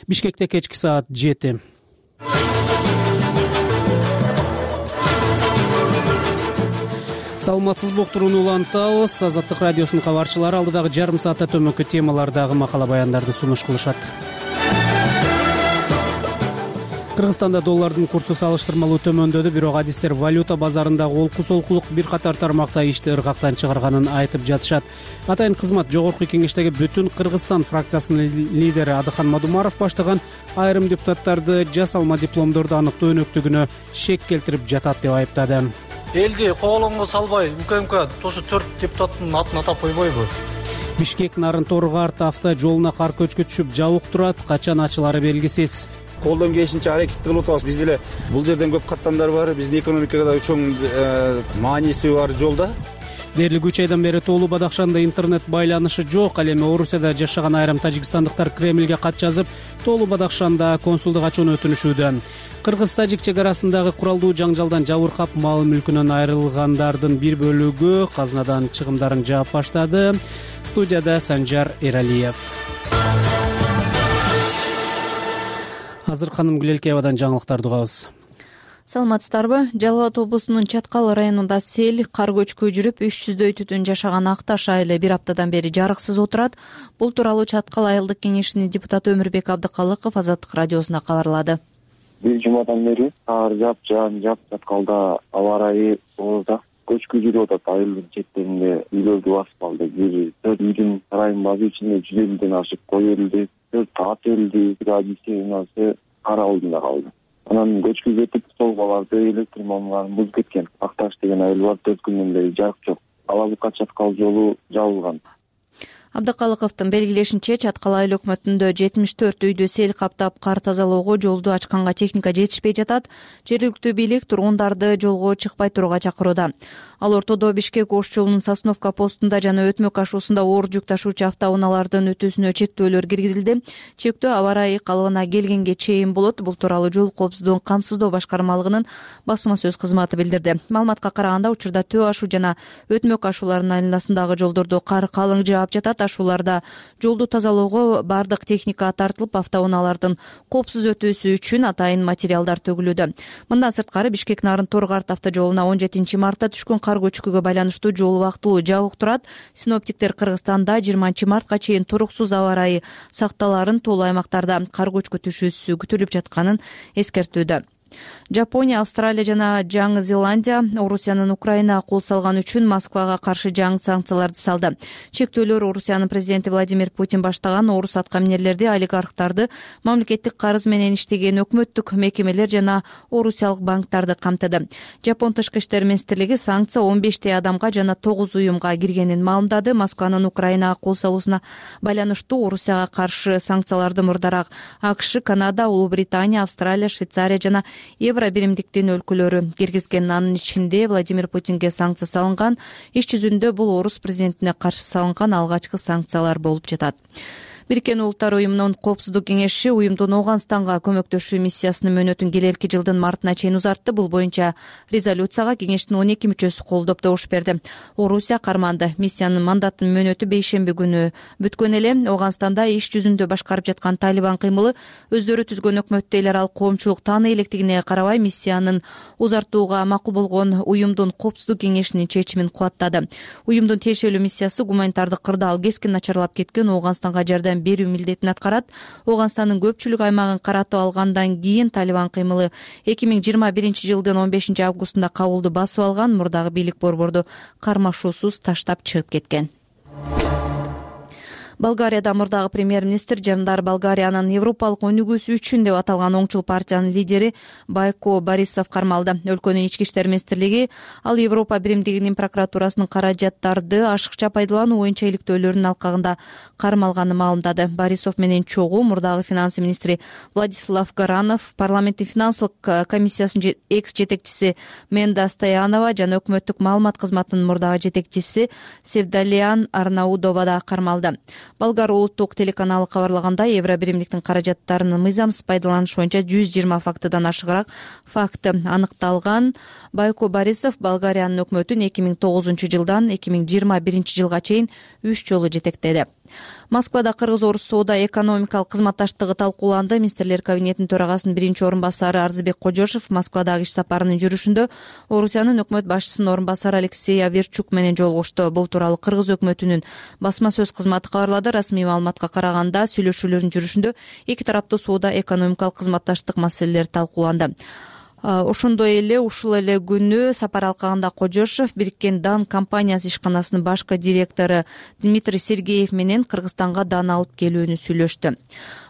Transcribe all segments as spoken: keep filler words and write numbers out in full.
Бишкекте кечки саат жети. Саламатсызбы, уктурууну улантабыз. Азаттык радиосунун кабарчылары алдыдагы жарым саатта төмөнкү темалардагы макала баяндарды сунуш кылышат. Кыргызстанда доллардын курсу салыштырмалуу төмөндөдү, бирок адистер валюта базарындагы олку-солкулук бир катар тармакта ишти ыргактан чыгарганын айтып жатышат. Атайын кызмат Жогорку Кеңештеги Бүтүн Кыргызстан фракциясынын лидери Адыхан Мадумаров баштаган айрым депутаттарды жасалма дипломдорду аныктоо өнөктүгүнө шек келтирип жатат деп айыптады. Элди коголоңго салбай, УКМК ошо төрт депутаттын атын атап койбойбу? Бишкек Нарын-Торгарт автожолуна кар көчкү түшүп жабык турат, качан ачылары белгисиз. Колдон келишинче аракет кылып атабыз. Биз деле бул жерден көп каттамдар бар, биздин экономикага чоң мааниси бар жолда. Дээрлик үч айдан бери Тоолу Бадакшанда интернет байланышы жок. Ал эми Орусияда жашаган айрым тажикстандыктар Кремлге кат жазып, Тоолу Бадакшанда консулдук ачууну өтүнүшүүдө. Кыргыз-тажик чек арасындагы куралдуу жаңжалдан жабыркап, мал мүлкүнөн айрылгандардын бир бөлүгү казынадан чыгымдарын жаап баштады. Студияда Санжар Эралиев. Азыр Ханым Гүлелкеевадан жаңылыктарды угабыз. Саламатсыздарбы? Жалал Абад облусунун Чаткал районунда сел, кар көчкү жүрүп, үч жүздөй түтүн жашаган Акташ айылы бир аптадан бери жарыксыз отурат. Бул тууралуу Чаткал айылдык кеңешинин депутаты Өмүрбек Абдыкалыков Азаттык радиосуна кабарлады. Бир жумадан бери кар жаап жаан жаап Чаткалда аба ырайы оозда көчкү жүрүп атат. Айылдын четтеринде үйлөрдү басып алды. Бир төрт үйдүн сарайын базы ичинде жүз элүүдөн ашык кой өлдү, төрт ат өлдү, радиостанциясы кар алдында калды. Анан көчкү кетип, столбаларды, электр мамларын бузуп кеткен. Акташ деген айыл бар, төрт күндөн бери жарык жок. Алабыкка Чаткал жолу жабылган. Абдыкалыковдун белгилешинче, Чаткал айыл өкмөтүндө жетимиш төрт үйдү сел каптап, кар тазалоого жолду ачканга техника жетишпей жатат. Жергиликтүү бийлик тургундарды жолго чыкпай турууга чакырууда. Ал ортодо Бишкек Ош жолунун Сосновка постунда жана Өтмөк ашуусунда оор жүк ташуучу автоунаалардын өтүүсүнө чектөөлөр киргизилди. Чектөө аба ырайы калыбына келгенге чейин болот. Бул тууралуу жол коопсуздугун камсыздоо башкармалыгынын басма сөз кызматы билдирди. Маалыматка караганда, учурда Төө ашуу жана Өтмөк ашууларынын айланасындагы жолдордо кар калың жаап жатат. Ашууларда жолду тазалоого бардык техника тартылып, автоунаалардын коопсуз өтүүсү үчүн атайын материалдар төгүлүүдө. Мындан сырткары Бишкек Нарын-Торгарт автожолуна он жетинчи мартта түшкөн кар көчкүгө байланыштуу жол убактылуу жабык турат. Синоптиктер Кыргызстанда жыйырманчы мартка чейин туруксуз аба ырайы сакталарын, тоолуу аймактарда кар көчкү түшүүсү күтүлүп жатканын эскертүүдө. Жапония, Австралия жана Жаңы Зеландия Орусиянын Украинага кол салган үчүн Москвага каршы жаңы санкцияларды салды. Чектөөлөр Орусиянын президенти Владимир Путин баштаган орус аткаминерлерди, олигархтарды, мамлекеттик карыз менен иштеген өкмөттүк мекемелер жана орусиялык банктарды камтыды. Жапон тышкы иштер министрлиги санкция он бештей адамга жана тогуз уюмга киргенин маалымдады. Москванын Украинага кол салуусуна байланыштуу Орусияга каршы санкцияларды мурдараак АКШ, Канада, Улуу Британия, Австралия, Швейцария жана Евро биримдиктин өлкөлөрү киргизген. Анын ичинде Владимир Путинге санкция салынган. Иш жүзүндө бул орус президентине каршы салынган алгачкы санкциялар болуп жатат. Бириккен Улуттар уюмунун коопсуздук кеңеши уюмдун Ооганстанга көмөктөшүү миссиясынын мөөнөтүн келерки жылдын мартына чейин узартты. Бул боюнча резолюцияга кеңештин он эки мүчөсү колдоп добуш берди. Орусия карманды. Миссиянын мандатынын мөөнөтү бейшемби күнү бүткөн эле. Ооганстанда иш жүзүндө башкарып жаткан Талибан кыймылы өздөрү түзгөн өкмөттү эл аралык коомчулук тааный электигине карабай, миссиянын узартууга макул болгон уюмдун коопсуздук кеңешинин чечимин кубаттады. Уюмдун тиешелүү миссиясы гуманитардык кырдаал кескин начарлап кеткен Ооганстанга жардам берүү милдетин аткарат. Ооганстандын көпчүлүк аймагын каратып алгандан кийин Талибан кыймылы эки миң жыйырма биринчи жылдын он бешинчи августунда Кабулду басып алган. Мурдагы бийлик борборду кармашуусуз таштап чыгып кеткен. Болгарияда мурдагы премьер-министр Жандар Болгариянын Европалык өнүгүүсү үчүн деп аталган оңчул партиянын лидери Байко Борисов кармалды. Өлкөнүн ички иштер министрлиги ал Европа биримдигинин прокуратурасынын каражаттарды ашыкча пайдалануу боюнча иликтөөлөрүнүн алкагында кармалганын маалымдады. Борисов менен чогуу мурдагы финанс министри Владислав Горанов, парламенттин финансылык комиссиясынын экс жетекчиси Менда Стоянова жана өкмөттүк маалымат кызматынын мурдагы жетекчиси Севдалиан Арнаудова да кармалды. Болгар улуттук телеканалы кабарлагандай, евро биримдиктин каражаттарынын мыйзамсыз пайдаланышы боюнча жүз жыйырма фактыдан ашыгыраак факты аныкталган. Байко Борисов Болгариянын өкмөтүн эки миң тогузунчу жылдан эки миң жыйырма биринчи жылга чейин үч жолу жетектеди. Москвада кыргыз-орус соода экономикалык кызматташтыгы талкууланды. Министрлер кабинетинин төрагасынын биринчи орун басары Арзыбек Кожошов Москвадагы иш сапарынын жүрүшүндө Орусиянын өкмөт башчысынын орун басары Алексей Аверчук менен жолугушту. Бул тууралуу кыргыз өкмөтүнүн басма сөз кызматы кабарлады. Расмий маалыматка караганда сүйлөшүүлөрдүн жүрүшүндө эки тараптуу соода экономикалык кызматташтык маселелери талкууланды. Ошондой эле ушул эле күнү сапар алкагында Кожошов Бириккен Дан компаниясы ишканасынын башкы директору Дмитрий Сергеев менен Кыргызстанга дан алып келүүнү сүйлөштү.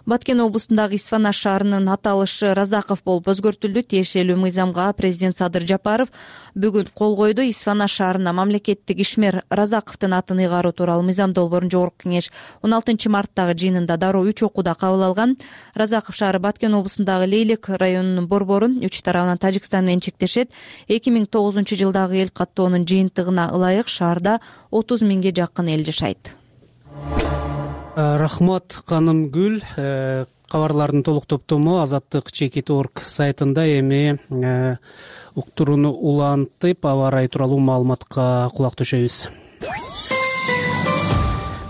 Баткен облусундагы Исфана шаарынын аталышы Разаков болуп өзгөртүлдү. Тиешелүү мыйзамга президент Садыр Жапаров бүгүн кол койду. Исфана шаарына мамлекеттик ишмер Разаковдун атын ыйгаруу тууралуу мыйзам долбоорун Жогорку кеңеш он алтынчы марттагы жыйынында дароо үч окууда кабыл алган. Разаков шаары Баткен облусундагы Лейлек районунун борбору үч тарабынан Тажикстан менен чектешет. эки миң тогузунчу жылдагы эл каттоонун жыйынтыгына ылайык шаарда отуз миңге жакын эл жашайт. Рахмат Канымгүл. Кабарлардын толук топтому азаттык чекит точка орг сайтында эми уктурууну улантып аба ырайы тууралуу маалыматка кулак төшөйбүз.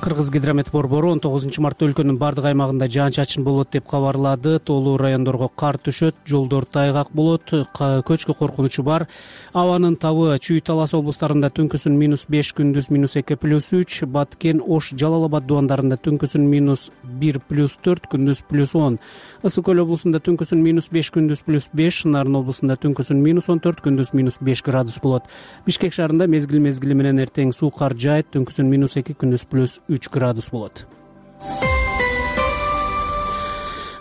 Кыргызгидромет борбору он тогузунчу мартта өлкөнүн бардык аймагында жаан-чачын болот деп кабарлады. Тоолуу райондорго кар түшөт, жолдор тайгак болот, көчкү коркунучу бар. Абанын табы Чүй, Талас облустарында түнкүсүн минус беш, күндүз минус эки плюс үч, Баткен, Ош, Жалал Абад дубандарында түнкүсүн минус бир плюс төрт, күндүз плюс он. Ысык Көл облусунда түнкүсүн минус беш, күндүз плюс беш, Нарын облусунда түнкүсүн минус он төрт, күндүз минус беш градус болот. Бишкек шаарында мезгил мезгили менен эртең суу кар жаайт, түнкүсүн минус эки, күндүз плюс үч градус болот.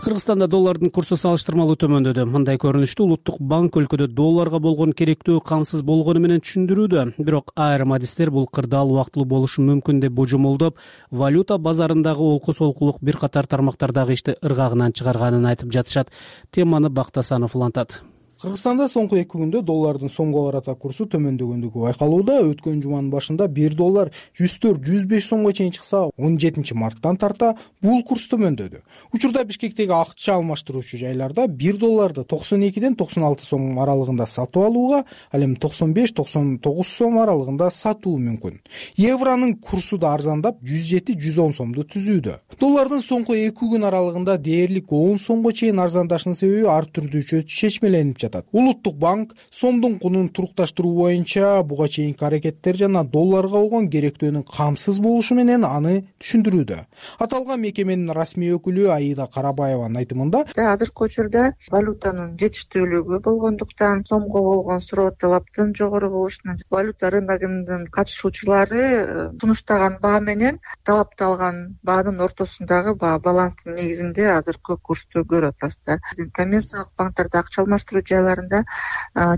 Кыргызстанда доллардын курсу салыштырмалуу төмөндөдү. Мындай көрүнүштү Улуттук банк өлкөдө долларга болгон керектөө камсыз болгону менен түшүндүрүүдө. Бирок айрым адистер бул кырдаал убактылуу болушу мүмкүн деп божомолдоп, валюта базарындагы олку-солкулук бир катар тармактардагы ишти ыргагынан чыгарганын айтып жатышат. Теманы Бактасанов улантат. Кыргызстанда соңку эки күндө доллардын сомго карата курсу төмөндөгөндүгү байкалууда. Өткөн жуманын башында бир доллар жүз төрт жүз беш сомго чейин чыкса, он жетинчи марттан тарта бул курс төмөндөдү. Учурда Бишкектеги акча алмаштыруучу жайларда бир долларды токсон экиден токсон алты сом аралыгында сатып алууга, ал эми токсон беш токсон тогуз сом аралыгында сатуу мүмкүн. Евронун курсу да арзандап жүз жети жүз он сомду түзүүдө. Доллардын соңку эки күн аралыгында дээрлик он сомго чейин арзандашынын себеби ар түрдүү чечмеленип жатат. Улуттук банк сомдун кунун турукташтыруу боюнча буга чейинки аракеттер жана долларга болгон керектөөнүн камсыз болушу менен аны түшүндүрүүдө. Аталган мекеменин расмий өкүлү Аида Карабаеванын айтымында, азыркы учурда валютанын жетиштүүлүгү болгондуктан, сомго болгон суроо талаптын жогору болушунан, валюта рыногунун катышуучулары сунуштаган баа менен талапталган баанын ортосундагы баа баланстын негизинде азыркы курсту көрүп атасыздар. Коммерциялык банктерде акча алмаштыруу жайларында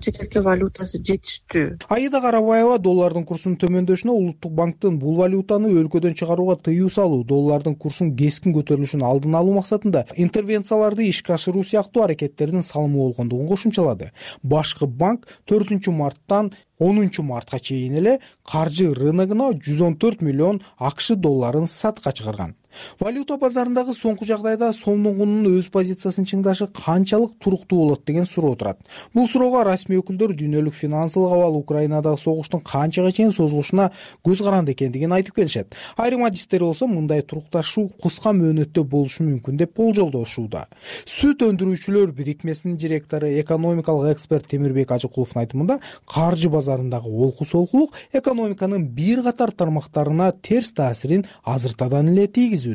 чет элге валютасы жетиштүү. Аида Карабаева доллардын курсунун төмөндөшүнө Улуттук банктын бул валютаны өлкөдөн чыгарууга тыюу салуу, доллардын курсунун кескин көтөрүлүшүн алдын алуу максатында интервенцияларды ишке ашыруу сыяктуу аракеттердин салымы болгондугун кошумчалады. Башкы банк төртүнчү марттан онунчу мартка чейин эле каржы рыногуна жүз он төрт миллион АКШ долларын сатка чыгарган. Валюта базарындагы соңку жагдайда сомдун кунунун өз позициясын чыңдашы канчалык туруктуу болот деген суроо турат. Бул суроого расмий өкүлдөр дүйнөлүк финансылык абал Украинадагы согуштун канчага чейин созулушуна көз каранды экендигин айтып келишет. Айрым адистер болсо мындай турукташуу кыска мөөнөттө болушу мүмкүн деп болжолдошууда. Сүт өндүрүүчүлөр бирикмесинин директору, экономикалык эксперт Темирбек Ажыкуловдун айтымында, каржы базарындагы олку-солкулук экономиканын бир катар тармактарына терс таасирин азыртадан эле тийгизүүдө.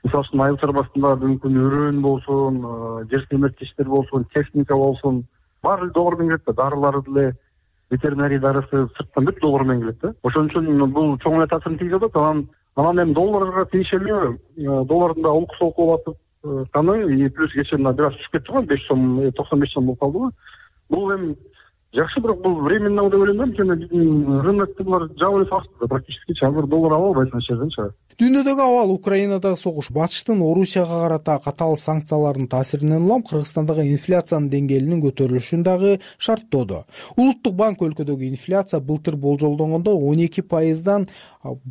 Мисалы үчүн айыл чарбасында мүмкүн өрөөн болсун, жер семиртиштер болсун, техника болсун, баары доллар менен келет да, дарылар деле, ветеринарий дарысы сырттан бүт доллар менен келет да. Ошон үчүн бул чоң эле таасирин тийгизет да. Анан анан эми долларга тиешелүү доллардын да олку-солку болуп атканы, и плюс кечээ бир аз түшүп кетти го, беш сом, токсон беш сом болуп калды го. Бул эми жакшы, бирок бул временно деп ойлойм да, анткени биздин рынокто булар жабып эле салышты практически. Азыр доллар ала албайсың аш жерден чыгат. Дүйнөдөгү абал, Украинадагы согуш, батыштын Орусияга карата катаал санкциялардын таасиринен улам Кыргызстандагы инфляциянын деңгээлинин көтөрүлүшүн дагы шарттоодо. Улуттук банк өлкөдөгү инфляция былтыр болжолдонгондо он эки пайыздан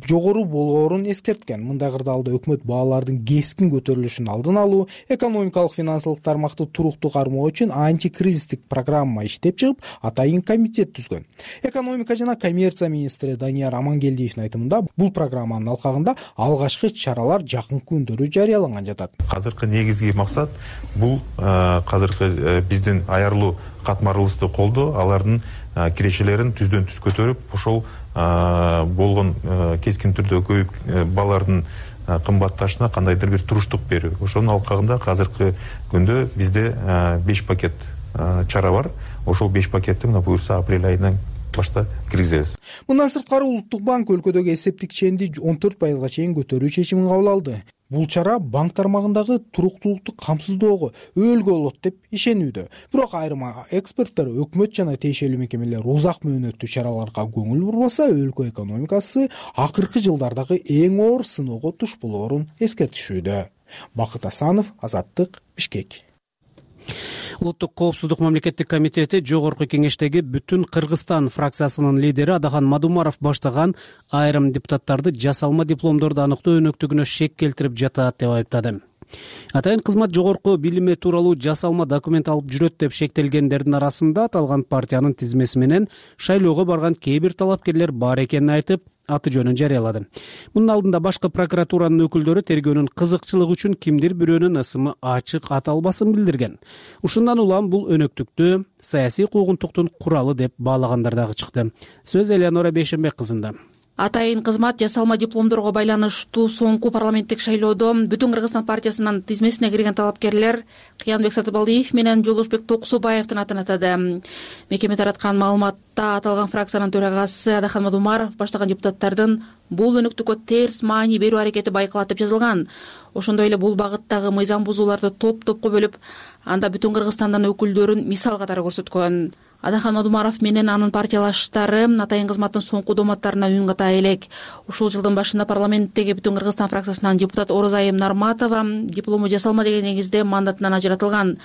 жогору болгоорун эскерткен. Мындай кырдаалда өкмөт баалардын кескин көтөрүлүшүн алдын алуу, экономикалык финансылык тармакты туруктуу кармоо үчүн антикризистик программа иштеп чыгып, атайын комитет түзгөн. Экономика жана коммерция министри Данияр Амангелдиевдин айтымында, бул программанын алкагында алгачкы чаралар жакынкы күндөрү жарыяланган жатат. Азыркы негизги максат бул азыркы биздин аярлуу катмарлысты колдоо, алардын кирешелерин түздөн түз көтөрүп, ошол болгон кескин түрдө көбөйүп балалардын кымбатташына кандайдыр бир туруштук берүү. Ошонун алкагында азыркы күндө бизде беш пакет чара бар. Ошол беш пакетти мына буюрса апрель айынан башта киргизебиз. Мындан сырткары Улуттук банк өлкөдөгү эсептик ченди он төрт пайызга чейин көтөрүү чечимин кабыл алды. Бул чара банк тармагындагы туруктуулукту камсыздоого өөлгө болот деп ишенүүдө. Бирок айрым эксперттер өкмөт жана тиешелүү мекемелер узак мөөнөттүү чараларга көңүл бурбаса, өлкө экономикасы акыркы жылдардагы эң оор сыноого туш болоорун эскертишүүдө. Бакыт Асанов, Азаттык, Бишкек. Улуттук коопсуздук мамлекеттик комитети жогорку кеңештеги Бүтүн Кыргызстан фракциясынын лидери Адахан Мадумаров баштаган айрым депутаттарды жасалма дипломдорду аныктоо өнөктүгүнө шек келтирип жатат деп айыптады. Атайын кызмат жогорку билими тууралуу жасалма документ алып жүрөт деп шектелгендердин арасында аталган партиянын тизмеси менен шайлоого барган кээ бир талапкерлер бар экенин айтып, аты жөнүн жарыялады. Мунун алдында башкы прокуратуранын өкүлдөрү тергөөнүн кызыкчылыгы үчүн кимдир бирөөнүн ысымы ачык аталбасын билдирген. Ушундан улам бул өнөктүктү саясий куугунтуктун куралы деп баалагандар дагы чыкты. Сөз Элеонора Бейшенбек кызында. Атайын кызмат жасалма дипломдорго байланыштуу соңку парламенттик шайлоодо Бүтүн Кыргызстан партиясынын тизмесине кирген талапкерлер Кыянбек Сатыбалдиев менен Жолдошбек Токусубаевдин атын атады. Мекеме тараткан маалыматта аталган фракциянын төрагасы Адахан Мадумаров баштаган депутаттардын бул өнөктүккө терс маани берүү аракети байкалат деп жазылган. Ошондой эле бул багыттагы мыйзам бузууларды топ-топко бөлүп, анда Бүтүн Кыргызстандан өкүлдөрүн мисал катары көрсөткөн. Адахан Мадумаров менен анын партиялаштары атайын кызматтын соңку дооматтарына үн ката элек. Ушул жылдын башында парламенттеги Бүтүн Кыргызстан фракциясынан депутат Орозайым Нарматова диплому жасалма деген негизде мандатынан ажыратылган.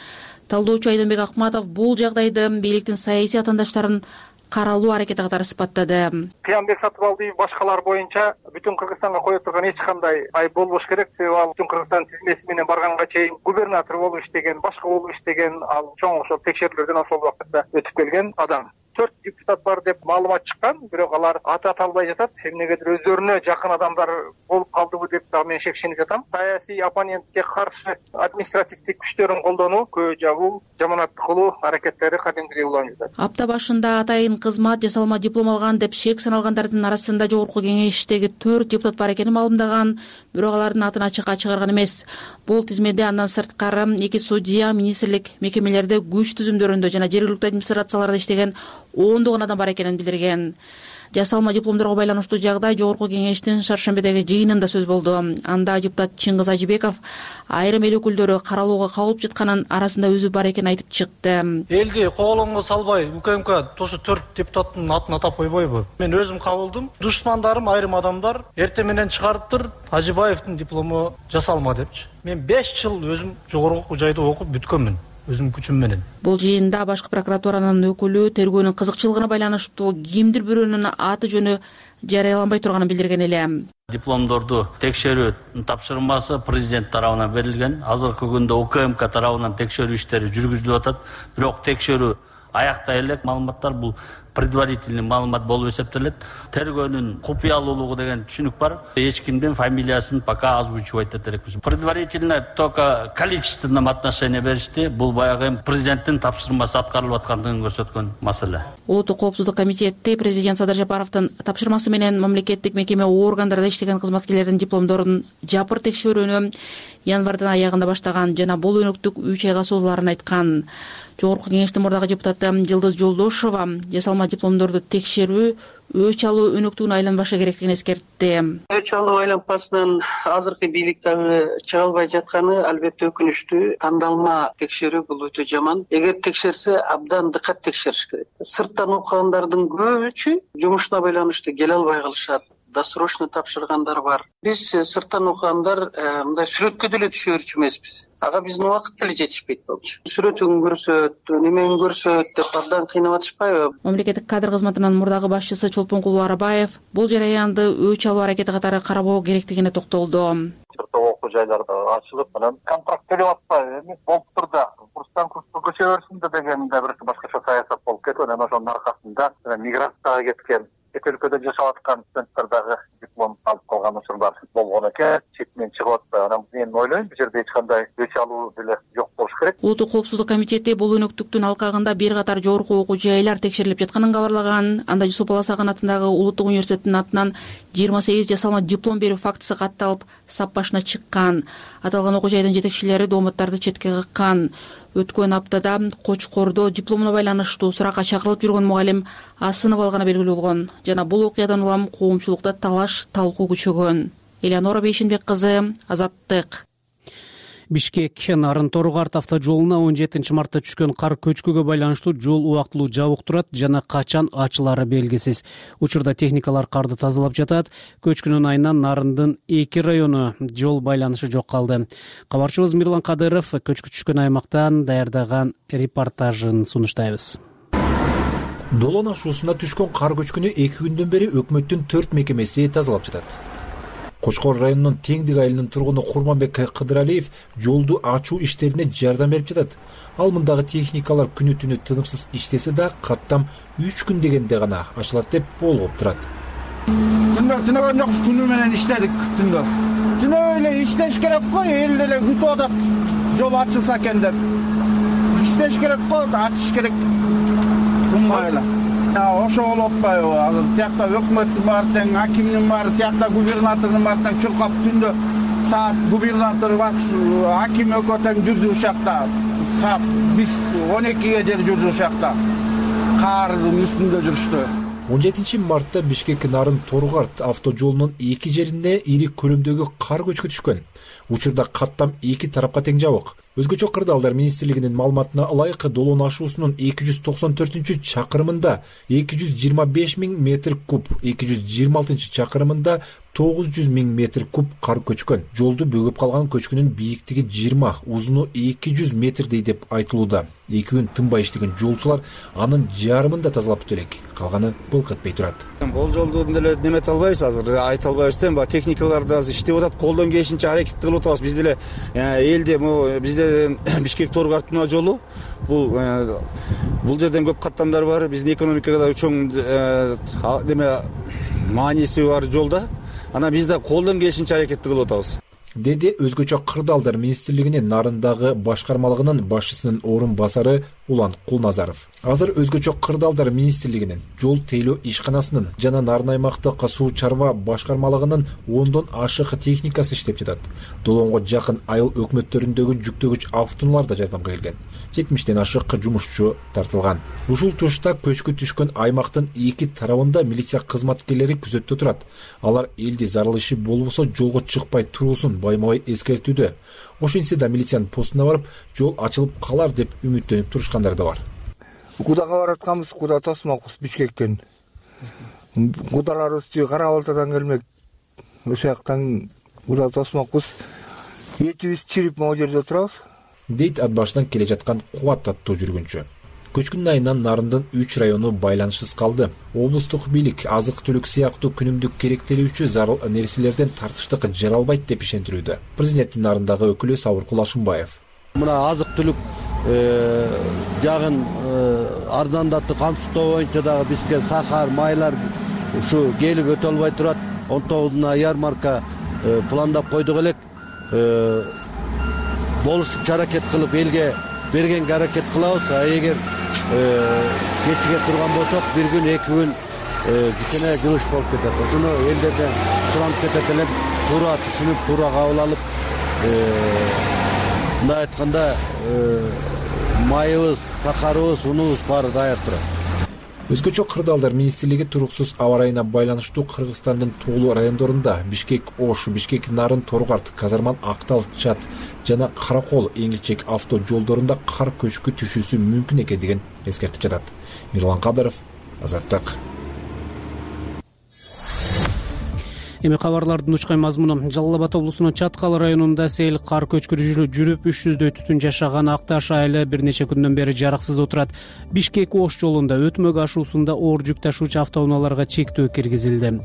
Талдоочу Айдынбек Акматов бул жагдайды бийликтин саясий атаандаштарын каралуу аракети катары сыпаттады. Кыянбек Сатыбалдиев башкалар боюнча Бүтүн Кыргызстанга кое турган эч кандай айып болбош керек. Себеби ал Бүтүн Кыргызстан тизмеси менен барганга чейин губернатор болуп иштеген, башка болуп иштеген, ал чоң ошол текшерүүлөрдөн ошол убакытта өтүп келген адам. Төрт депутат бар деп маалымат чыккан, бирок алар аты аталбай жатат. Эмнегедир өздөрүнө жакын адамдар болуп калдыбы деп дагы мен шекченип жатам. Саясий оппонентке каршы административдик күчтөрүн колдонуу, көө жабуу, жаманаттык кылуу аракеттери кадимгидей уланып жатат. Апта башында атайын кызмат жасалма диплом алган деп шек саналгандардын арасында жогорку кеңештеги төрт депутат бар экенин маалымдаган, бирок алардын атын ачыкка чыгарган эмес. Бул тизмеде андан сырткары эки судья, министрлик мекемелерде, күч түзүмдөрүндө жана жергиликтүү администрацияларда иштеген ондогон адам бар экенин билдирген. Жасалма дипломдорго байланыштуу жагдай жогорку кеңештин Шаршембедеги жыйынында сөз болду. Анда депутат Чыңгыз Ажыбеков айрым эл өкүлдөрү каралууга кабылып жатканын арасында өзү бар экенин айтып чыкты. Элди коголоңго салбай УКМК ошо төрт депутаттын атын атап койбойбу? Мен өзүм кабылдым. Душмандарым айрым адамдар эртең менен чыгарыптыр Ажыбаевдин диплому жасалма депчи. Мен беш жыл өзүм жогорку жайда окуп бүткөнмүн. Өзүм күчүм менен. Бул жыйында башкы прокуратуранын өкүлү тергөөнүн кызыкчылыгына байланыштуу кимдир бирөөнүн аты жөнү жарыяланбай турганын билдирген эле. Дипломдорду текшерүү тапшырмасы президент тарабынан берилген. Азыркы күндө УКМК тарабынан текшерүү иштери жүргүзүлүп атат. Бирок текшерүү аяктай элек. Маалыматтар бул предварительный маалымат болуп эсептелет. Тергөөнүн купуялуулугу деген түшүнүк бар. Эч кимдин фамилиясын пока озвучивать этет элекпиз. Предварительно только количественном отношении беришти. Бул баягы президенттин тапшырмасы аткарылып аткандыгын көрсөткөн маселе. Улуттук коопсуздук комитети президент Садыр Жапаровдун тапшырмасы менен мамлекеттик мекеме органдарында иштеген кызматкерлердин дипломдорун жапыр текшерүүнү январдын аягында баштаган жана бул өнөктүк үч айга созулаарын айткан. Жогорку кеңештин мурдагы депутаты Жылдыз Жолдошова жасалма дипломдорду текшерүү өч алуу өнөктүгүнө айланбашы керектигин эскертти. Өч алуу айланбасынан азыркы бийлик дагы чыга албай жатканы албетте өкүнүчтүү. Тандалма текшерүү бул өтө жаман. Эгер текшерсе, абдан дыкат текшериш керек. Сырттан окугандардын көбүчү жумушуна байланыштуу келе албай калышат. Досрочно тапшыргандар бар. Биз сырттан окугандар мындай сүрөткө деле түшө берчү эмеспиз. Ага биздин убакыт деле жетишпейт болчу. Сүрөтүн көрсөт, немени көрсөт деп абдан кыйнап атышпайбы? Мамлекеттик кадр кызматынын мурдагы башчысы Чолпонкул Арабаев бул жараянды өч алуу аракети катары карабоо керектигине токтолду. Окуу жайларда ачылып, анан контракт төлөп атпайбы эмес болуптур да. Курстан курска көчө берсин деген да бир башкача саясат болуп кетип, анан ошонун аркасында миграцияга кеткен, эт өлкөдө жашап аткан студенттер дагы диплом алып калган учурлар болгон мен ойлойм. Бул жерде эч кандай өч алуу деле жок болуш керек. Улуттук коопсуздук комитети бул өнөктүктүн алкагында бир катар жогорку окуу жайлар текшерилип жатканын кабарлаган. Анда Жусуп Баласаган атындагы Улуттук университеттин атынан жыйырма сегиз жасалма диплом берүү фактысы катталып сап башына чыккан. Аталган окуу жайдын жетекчилери дооматтарды четке каккан. Өткөн аптада Кочкордо дипломуна байланыштуу суракка чакырылып жүргөн мугалим асынып алганы белгилүү болгон жана бул окуядан улам коомчулукта талаш талкуу күчөгөн. Элеонора Бейшенбек кызы, Азаттык. Бишкек Нарын Торгарт автожолуна он жетинчи мартта түшкөн кар көчкүгө байланыштуу жол убактылуу жабык турат жана качан ачылары белгисиз. Учурда техникалар карды тазалап жатат. Көчкүнүн айынан Нарындын эки району жол байланышы жок калды. Кабарчыбыз Мирлан Кадыров көчкү түшкөн аймактан даярдаган репортажын сунуштайбыз. Долон ашуусуна түшкөн кар көчкүнү эки күндөн бери өкмөттүн төрт мекемеси тазалап жатат. Кочкор районунун Теңдик айылынын тургуну Курманбек Кыдыралиев жолду ачуу иштерине жардам берип жатат. Ал мындагы техникалар күнү түнү тынымсыз иштесе да каттам үч күн дегенде гана ачылат деп болгоп турат. Түндө тынаган жокпуз, түнү менен иштедик түндө. Түнү эле иштеш керек го, эл деле күтүп атат жол ачылса экен деп. Иштеш керек го, ачыш керек. Тынбай эле. Ошо болуп атпайбы? Азыр тиякта өкмөттүн баары тең, акимдин баары тиякта, губернатордун баары тең чуркап түндө саат губернатор, аким экөө тең жүрдү ушакта. Саат биз он экиге жер жүрдү ушакта. Кардын үстүндө жүрүштү. он жетинчи мартта Бишкек Нарын Торгарт автожолунун эки жеринде ири көлөмдөгү кар көчкү түшкөн. Учурда каттам эки тарапка тең жабык. Өзгөчө кырдаалдар министрлигинин маалыматына ылайык Долон ашуусунун эки жүз токсон төртүнчү чакырымында эки жүз жыйырма беш миң метр куб, эки жүз жыйырма алтынчы чакырымында тогуз жүз миң метр куб кар көчкөн. Жолду бөгөп калган көчкүнүн бийиктиги жыйырма, узуну эки жүз метрдей деп айтылууда. Эки күн тынбай иштеген жолчулар анын жарымын да тазалап бүтө элек. Калганы былк этпей турат. Бул жолду деле немете албайбыз азыр, айта албайбыз да. Баа техникалар да азыр иштеп атат, колдон келишинче аракет кылып атабыз. Биз деле элде могу бизде Бишкек Торгарттын жолу бул бул жерден көп каттамдар бар. Биздин экономикага чоң неме мааниси бар жолда. Ана биз да колдон келишинче аракетти кылып атабыз. Деди өзгөчө кырдаалдар министрлигинин Нарындагы башкармалыгынын башчысынын орун басары Улан Кулназаров. Азыр өзгөчө кырдаалдар министрлигинин жол тейлөө ишканасынын жана Нарын аймактык суу чарба башкармалыгынын ондон ашык техникасы иштеп жатат. Долонго жакын айыл өкмөттөрүндөгү жүктөгүч автоунаалар да жардамга келген. жетимиштен ашык жумушчу тартылган. Ушул тушта көчкү түшкөн аймактын эки тарабында милиция кызматкерлери күзөттө турат. Алар элди зарыл иши болбосо жолго чыкпай туруусын байма-бай эскертүүдө. Ошентсе да милициянын постуна барып, жол ачылып калар деп үмүттөнүп турушкандар да бар. Кудага баратканбыз, куда тосмокпуз Бишкектен. Кудаларыбыз Кара Балтадан келмек. Ошол жактан куда тосмокпуз. Этибиз чирип могу жерде турабыз. Дейт ат башынан келе жаткан Кубат аттуу жүргүнчү. Көчкүнүн айынан Нарындын үч району байланышсыз калды. Облустук бийлик азык-түлүк сыяктуу күнүмдүк керектелүүчү зарыл нерселерден тартыштык жаралбайт деп ишендирүүдө. Президенттин Нарындагы өкүлү Сабыр Кулашымбаев. Мына азык-түлүк жагын арзандатуу камсыздоо боюнча дагы бизге сахар, майлар ушу келип өтө албай турат. он тогузуна ярмарка пландап койдук элек. Болушупчу аракет кылып элге бергенге аракет кылабыз. А эгер кечиге турган болсок, бир күн, эки күн кичине жылыш болуп кетет. Ошону элдерден суранып кетет элек, туура түшүнүп, туура кабыл алып, мындай айтканда майыбыз, сахарыбыз, унубуз баары даяр турат. Өзгөчө кырдаалдар министрлиги туруксуз аба ырайына байланыштуу Кыргызстандын тоолуу райондорунда Бишкек Ош, Бишкек Нарын Торгарт, Казарман Актал Чат жана Каракол Эңилчек авто жолдорунда кар көчкү түшүүсү мүмкүн экендигин эскертип жатат. Мирлан Кадыров, Азаттык. Эми кабарлардын учкан мазмуну. Жалал Абад облусунун Чаткал районунда сел кар көчкүрүү жүрүп үч жүздөй түтүн жашаган Акташ айылы бир нече күндөн бери жарыксыз отурат. Бишкек Ош жолунда өтмөк ашуусунда оор жүк ташуучу автоунааларга чектөө киргизилди.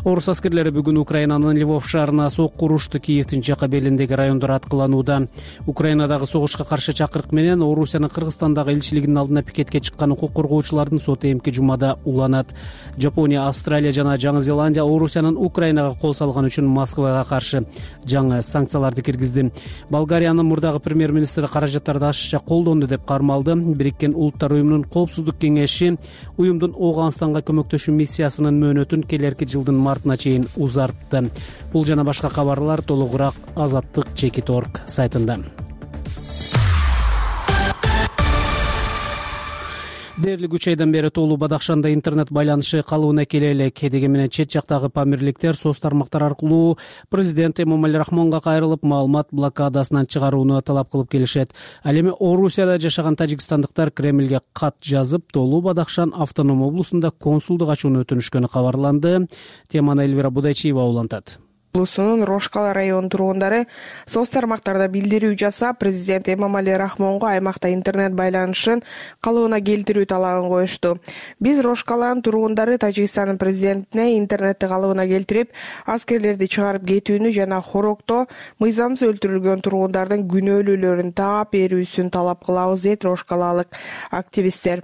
Орус аскерлери бүгүн Украинанын Львов шаарына сокку урушту. Киевдин жака белиндеги райондор аткыланууда. Украинадагы согушка каршы чакырык менен Орусиянын Кыргызстандагы элчилигинин алдына пикетке чыккан укук коргоочулардын соту эмки жумада уланат. Жапония, Австралия жана Жаңы Зеландия Орусиянын Украина Украинага кол салган үчүн Москвага каршы жаңы санкцияларды киргизди. Болгариянын мурдагы премьер-министри каражаттарды ашыкча колдонду деп кармалды. Бириккен Улуттар уюмунун коопсуздук кеңеши уюмдун Ооганстанга көмөктөшүү миссиясынын мөөнөтүн келерки жылдын мартына чейин узартты. Бул жана башка кабарлар толугураак азаттык чекит точка орг сайтында. Дээрлик үч айдан бери Тоолуу Бадахшанда интернет байланышы калыбына келе элек. Дегени менен чет жактагы памирликтер соц тармактар аркылуу президент Эмомали Рахмонго кайрылып, маалымат блокадасынан чыгарууну талап кылып келишет. Ал эми Орусияда жашаган тажикстандыктар Кремлге кат жазып, Тоолуу Бадахшан автоном облусунда консулдук ачууну өтүнүшкөнү кабарланды. Теманы Эльвира Будайчиева улантат. Облусунун Рошкала районунун тургундары соц тармактарда билдирүү жасап, президент Эмомали Рахмонго аймакта интернет байланышын калыбына келтирүү талабын коюшту. Биз Рошкаланын тургундары Тажикстандын президентине интернетти калыбына келтирип, аскерлерди чыгарып кетүүнү жана Хорокто мыйзамсыз өлтүрүлгөн тургундардын күнөөлүүлөрүн таап берүүсүн талап кылабыз, дейт Рошкалалык активисттер.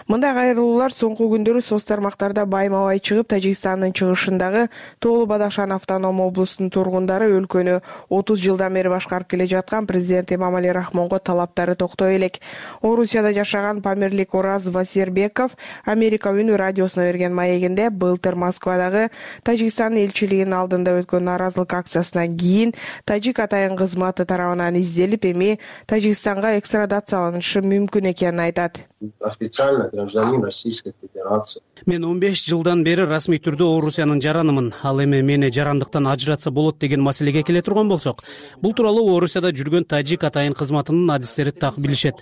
Мындай кайрылуулар соңку күндөрү соц тармактарда байма-бай чыгып, Тажикстандын чыгышындагы Тоолуу Бадахшан автоном облусунун тургундары өлкөнү отуз жылдан бери башкарып келе жаткан президент Эмомали Рахмонго талаптары токтой элек. Орусияда жашаган памирлик Ораз Вазирбеков Америка үнү радиосуна берген маегинде былтыр Москвадагы Тажикстан элчилигинин алдында өткөн нааразылык акциясынан кийин тажик атайын кызматы тарабынан изделип, эми Тажикстанга экстрадацияланышы мүмкүн экенин айтат. Официально гражданин Российской Федерации. Мен он беш жылдан бери расмий түрдө Орусиянын жаранымын. Ал эми мени жарандыктан ажыратса болот деген маселеге келе турган болсок, бул тууралуу Орусияда жүргөн тажик атайын кызматынын адистери так билишет.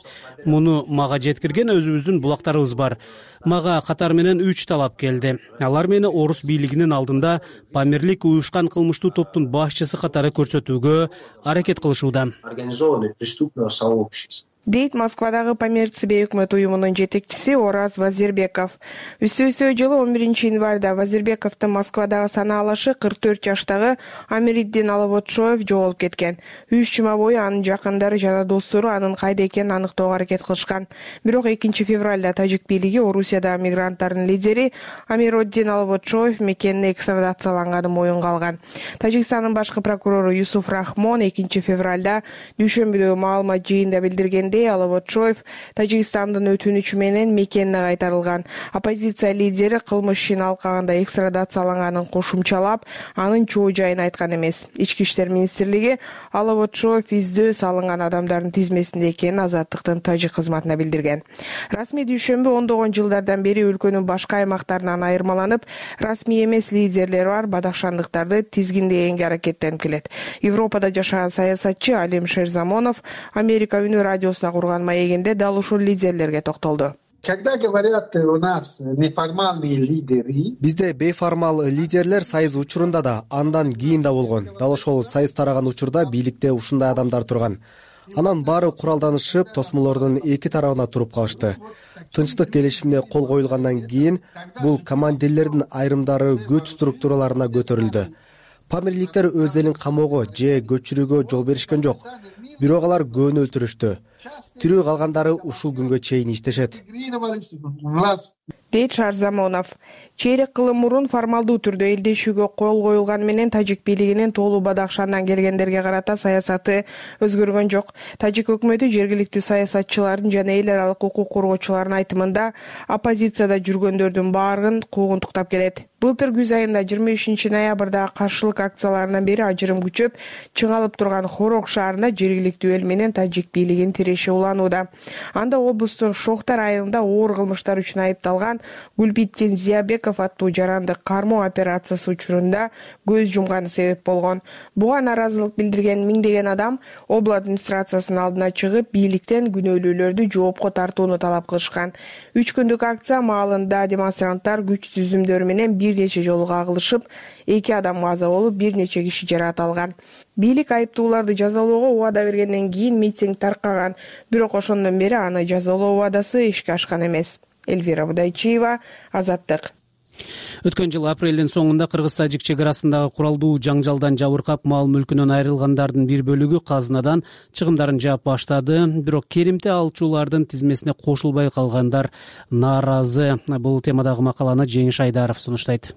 Муну мага жеткирген өзүбүздүн булактарыбыз бар. Мага катар менен үч талап келди. Алар мени орус бийлигинин алдында памирлик уюшкан кылмыштуу топтун башчысы катары көрсөтүүгө аракет кылышууда. Организованное преступное сообщество. Дейт Москвадагы Памирци бейөкмөт уюмунун жетекчиси Ораз Вазирбеков. Үстө-үстө жылы он биринчи январда Вазирбековдун Москвадагы санаалашы кырк төрт жаштагы Амириддин Алавотшоев жоголуп кеткен. Үч жума бою анын жакындары жана достору анын кайда экенин аныктоого аракет кылышкан. Бирок экинчи февралда тажик бийлиги Орусиядагы мигранттардын лидери Амироддин Алавотшоев мекенине экстрадацияланганын моюнга алган. Тажикстандын башкы прокурору Юсуф Рахмон экинчи февралда дүйшөмбүдөгү маалымат жыйында билдирген Алавотшоев Тажикстандын өтүнүчү менен мекенине кайтарылган. Оппозиция лидери кылмыш ишин алкагында экстрадацияланганын кошумчалап, анын чоо жайын айткан эмес. Ички иштер министрлиги Алавотшоев издөө салынган адамдардын тизмесинде экенин Азаттыктын тажик кызматына билдирген. Расмий дүйшөмбү ондогон жылдардан бери өлкөнүн башка аймактарынан айырмаланып, расмий эмес лидерлери бар бадахшандыктарды тизгиндегенге аракеттенип келет. Европада жашаган саясатчы Алим Шерзамонов Америка үнү радиосуна курган маегинде дал ушул лидерлерге токтолду. Когда говорят у нас неформальные лидеры, бизде бейформал лидерлер сайыз учурунда да, андан кийин да болгон. Дал ошол сайыз тараган учурда бийликте ушундай адамдар турган. Анан баары куралданышып, тосмолордун эки тарабына туруп калышты. Тынчтык келишимине кол коюлгандан кийин бул командирлердин айрымдары күч структураларына көтөрүлдү. Памирликтер өз элин камоого же көчүрүүгө жол беришкен жок. Бирок алар көөнү өлтүрүштү. Тирүү калгандары ушул күнгө чейин иштешет. Дейт Шарзамонов. Чейрек кылым мурун формалдуу түрдө элдешүүгө кол коюлганы менен тажик бийлигинин Тоолуу Бадахшандан келгендерге карата саясаты өзгөргөн жок. Тажик өкмөтү жергиликтүү саясатчылардын жана эл аралык укук коргоочулардын айтымында оппозицияда жүргөндөрдүн баарын куугунтуктап келет. Былтыр күз айында жыйырма бешинчи ноябрдагы каршылык акцияларынан бери ажырым күчөп, чыңалып турган Хорок шаарында жергиликтүү эл менен тажик бийлигинин тиреши уланууда. Анда облустун Шохтар айылында оор кылмыштар үчүн айыпталган Гүлбиттин Зиябеков аттуу жаранды кармоо операциясы учурунда көз жумганы себеп болгон. Буга нааразылык билдирген миңдеген адам обл администрациясынын алдына чыгып, бийликтен күнөөлүүлөрдү жоопко тартууну талап кылышкан. Үч күндүк акция маалында демонстранттар күч түзүмдөрү менен бир нече жолу кагылышып, эки адам каза болуп, бир нече киши жаракат алган. Бийлик айыптууларды жазалоого убада бергенден кийин митинг таркаган, бирок ошондон бери аны жазалоо убадасы ишке ашкан эмес. Эльвира Будайчиева, Азаттык. Өткөн жыл апрелдин соңунда кыргыз-тажик чек арасындагы куралдуу жаңжалдан жабыркап, мал мүлкүнөн айрылгандардын бир бөлүгү казынадан чыгымдарын жаап баштады. Бирок керимти алчулардын тизмесине кошулбай калгандар нааразы. Бул темадагы макаланы Жеңиш Айдаров сунуштайт.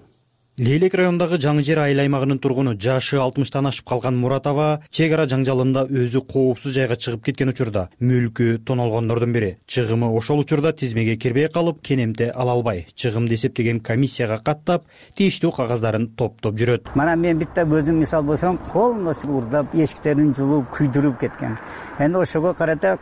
Лейлек районундагы Жаңы Жер айыл аймагынын тургуну жашы алтымыштан ашып калган Муратова чек ара жаңжалында өзү коопсуз жайга чыгып кеткен учурда мүлкү тоналгондордун бири. Чыгымы ошол учурда тизмеге кирбей калып, кенемте ала албай, чыгымды эсептеген комиссияга каттап, тийиштүү кагаздарын топтоп жүрөт. Мана мен битте өзүм мисал болсом, колумда уурдап, эшиктерин жулуп, күйдүрүп кеткен. Энди ошого карата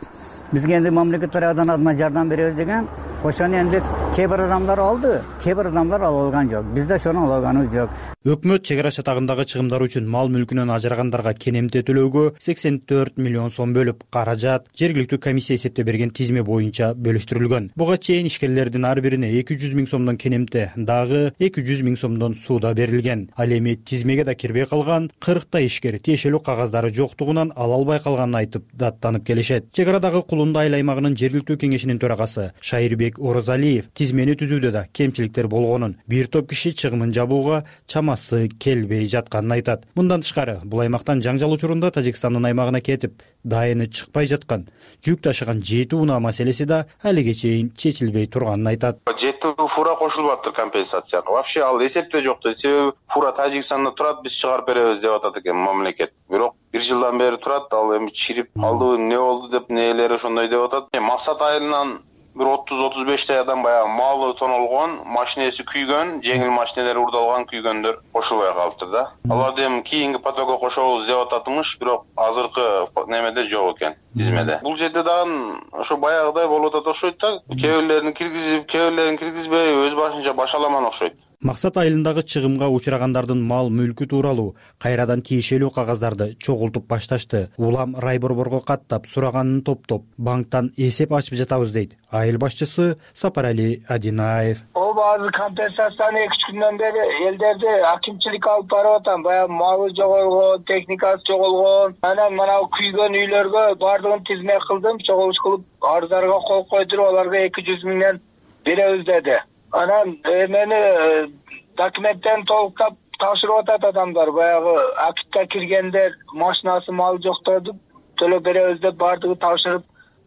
бизге энди мамлекет тарабынан азма жардам беребиз деген, ошону энди кээ бир адамдар алды, кээ бир адамдар ала алган жок. Биз да ошону ала алганыбыз жок. Өкмөт чек ара чатагындагы чыгымдар үчүн мал мүлкүнөн ажырагандарга кенемте төлөөгө сексен төрт миллион сом бөлүп, каражат жергиликтүү комиссия эсептеп берген тизме боюнча бөлүштүрүлгөн. Буга чейин ишкерлердин ар бирине эки жүз миң сомдон кенемте, дагы эки жүз миң сомдон сууда берилген. Ал эми тизмеге да кирбей калган кырктай ишкер тиешелүү кагаздары жоктугунан ала албай калганын айтып даттанып келишет. Чек арадагы Кулунду айыл аймагынын жергиликтүү кеңешинин төрагасы Шайырбек Орозалиев тизмени түзүүдө да кемчиликтер болгонун, бир топ киши чыгымын жабууга чамасы келбей жатканын айтат. Мындан тышкары, бул аймактан жаңжал учурунда Тажикстандын аймагына кетип, дайыны чыкпай жаткан жүк ташыган жети унаа маселеси да алиге чейин чечилбей турганын айтат. Жети фура кошулуп атыр компенсацияга. Вообще ал эсепте жок. Себеби фура Тажикстанда турат, биз чыгарып беребиз деп атат экен мамлекет. Бирок бир жылдан бери турат, ал эми чирип калдыбы, эмне болду деп нээлери ошондой деп атат. Максат айылынан бир отуз отуз бештэй адам баягы малы тонолгон, машинеси күйгөн, жеңил машинелер урдалган күйгөндөр кошулбай калыптыр да. Аларды эми кийинки потокко кошобуз деп ататмыш, бирок азыркы немеде жок экен, тизмеде. Бул жерде дагы ошо баягыдай болуп атат окшойт да. Кээ бирлерин киргизип, кээ бирлерин киргизбей, өз башынча башаламан окшойт. Максат айылындагы чыгымга учурагандардын мал мүлкү тууралуу кайрадан тиешелүү кагаздарды чогултуп башташты. Улам райборборго каттап, сураганын топтоп, банктан эсеп ачып жатабыз дейт айыл башчысы Сапарали Адинаев. Ооба, компенсацияны эки үч күндөн бери элдерди акимчилик алып барып атам. Баягы малы жоголгон, техникасы жоголгон, анан мына күйгөн үйлөргө бардыгын тизме кылдым, чогулуш кылып, арыздарга кол койдуруп, аларга эки жүз миңден беребиз деди. Анан эмени документтен толуктап тапшырып атат адамдар. Баягы актка киргендер машинасы мал жоктоду, төлөп беребиз деп бардыгы тапшырып,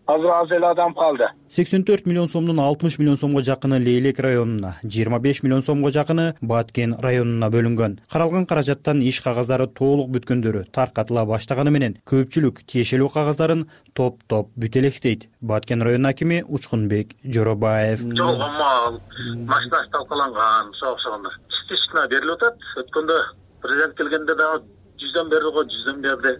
азыр аз эле адам калды. сексен төрт миллион сомдун алтымыш миллион сомго жакыны Лейлек районуна, жыйырма беш миллион сомго жакыны Баткен районуна бөлүнгөн. Каралган каражаттан иш кагаздары толук бүткөндөрү таркатыла баштаганы менен көпчүлүк тиешелүү кагаздарын топтоп бүтелектейт. Баткен районунун акими Учкунбек Жоробаев. Жолгон мал, машинасы талкаланган, окшогондор. Частично берилип атат. Өткөндө президент келгенде дагы жүздөн берди го, жүздөн берди.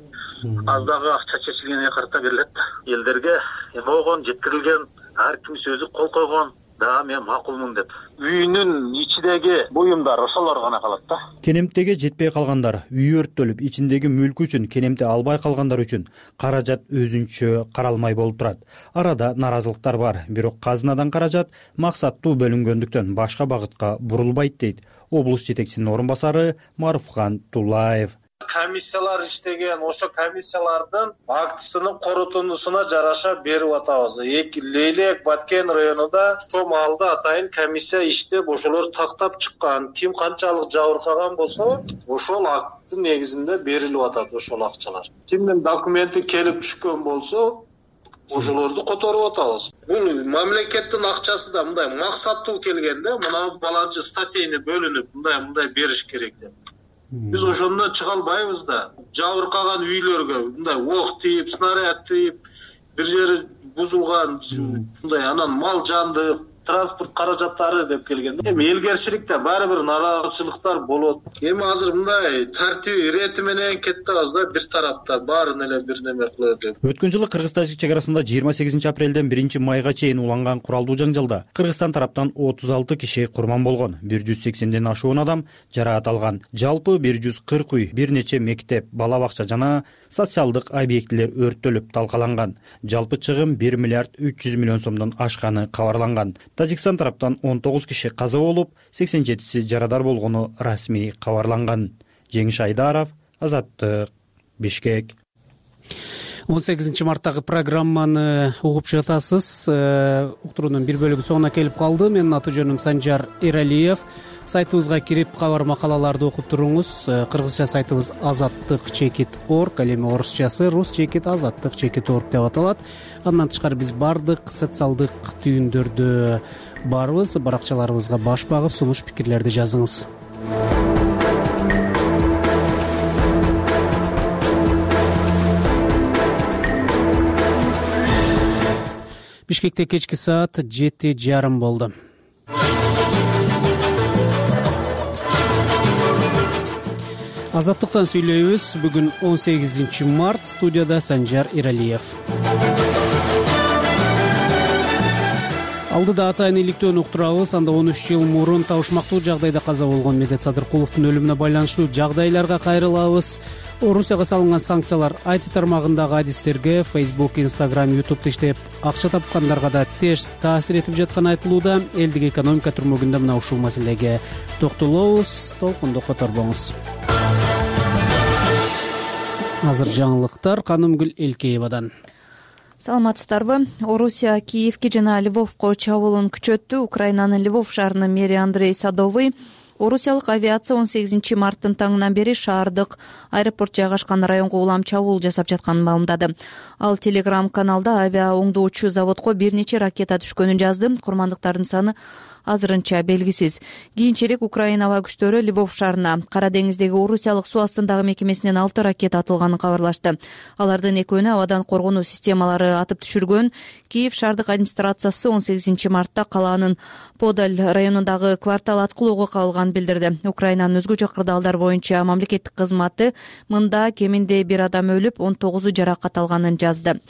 Az дагы акча чечилгенге карата берилет. Элдерге эме болгон, жеткирилген, ар ким сөзү кол койгон, да мен макулмун деп. Үйүнүн ичидеги буюмдар ошолор гана калат да. Кенемтеге жетпей калгандар, үй өрттөлүп, ичиндеги мүлкү үчүн кенемте албай калгандар үчүн каражат өзүнчө каралмай болуп турат. Арада наразылыктар бар, бирок казынадан каражат максаттуу бөлүнгөндүктөн башка багытка бурулбайт дейт облус жетекчисинин орун басары Маруфхан Тулаев. Комиссиялар иштеген, ошо комиссиялардын актысынын корутундусуна жараша берип атабыз. Лейлек Баткен районунда ошо маалда атайын комиссия иштеп, ошолор тактап чыккан. Ким канчалык жабыркаган болсо, ошол акттын негизинде берилип атат ошол акчалар. Кимдин документи келип түшкөн болсо, ошолорду которуп атабыз. Бул мамлекеттин акчасы да мындай максаттуу келгенде, мына баланчы статейни бөлүнүп, мындай мындай бериш керек деп. Биз ошондон чыга албайбыз да. Жабыркаган үйлөргө мындай ок тийип, снаряд тийип, бир жери бузулган, мындай анан мал жанды, транспорт каражаттары деп келгенде, эми элгерчиликте баары бир нараазычылыктар болот. Эми азыр мындай тартип ирети менен кетебиз да, бир тараптан баарын эле бир неме кылып деп. Өткөн жылы Кыргыз-Тажик чек арасында жыйырма сегизинчи апрелден биринчи майга чейин уланган куралдуу жаңжалда Кыргызстан тараптан отуз алты киши курман болгон, бир жүз сексенден ашуун адам жараат алган. Жалпы бир жүз кырк үй, бир нече мектеп, бала бакча жана социалдык объектилер өрттөлүп талкаланган. Жалпы чыгым бир миллиард үч жүз миллион сомдон ашканы кабарланган. Тажикстан тараптан он тогуз киши каза болуп, сексен жетиси жарадар болгону расмий кабарланган. Жеңиш Айдаров, Азаттык, Бишкек. он сегизинчи марттагы программаны угуп жатасыз. Уктуруунун бир бөлүгү соңуна келип калды. Менин аты жөнүм Санжар Эралиев. Сайтыбызга кирип кабар макалаларды окуп туруңуз. Кыргызча сайтыбыз азаттык чекит точка орг, ал эми орусчасы рус чекит азаттык чекит точка орг деп аталат. Андан тышкары биз бардык социалдык түйүндөрдө барбыз. Баракчаларыбызга баш багып, сунуш пикирлерди жазыңыз. Бишкекте кечки саат жети жарым болду. Азаттыктан сүйлөйбүз. Бүгүн он сегизинчи март. Студияда Санжар Иралиев. Алдыда атайын иликтөөнү уктурабыз. Анда он үч жыл мурун табышмактуу жагдайда каза болгон Медет Садыркуловдун өлүмүнө байланыштуу жагдайларга кайрылабыз. Орусияга салынган санкциялар ай ти тармагындагы адистерге Facebook, Instagram, YouTube'да иштеп акча тапкандарга да терс таасир этип жатканы айтылууда. Элдик экономика түрмөгүндө мына ушул маселеге токтолобуз. Толкунду которбоңуз. Азыр жаңылыктар Канымгүл Элкеевадан. Саламатсыздарбы? Орусия Киевке жана Львовко чабуулун күчөттү. Украинанын Львов шаарынын мэри Андрей Садовый орусиялык авиация он сегизинчи марттын таңынан бери шаардык аэропорт жайгашкан районго улам чабуул жасап жатканын маалымдады. Ал телеграм-каналда авиа оңдоочу заводко бир нече ракета түшкөнүн жазды. Курмандыктардын саны азырынча белгисиз. Кийинчерээк Украина аба күчтөрү Львов шаарына Кара деңиздеги орусиялык суу астындагы мекемесинен алты ракета атылганын кабарлашты. Алардын экөөнү абадан коргонуу системалары атып түшүргөн. Киев шаардык администрациясы он сегизинчи мартта калаанын Подаль районундагы квартал аткылоого кабылганын билдирди. Украинанын өзгөчө кырдаалдар боюнча мамлекеттик кызматы мында кеминде бир адам өлүп, он тогузу жаракат алганын жазды.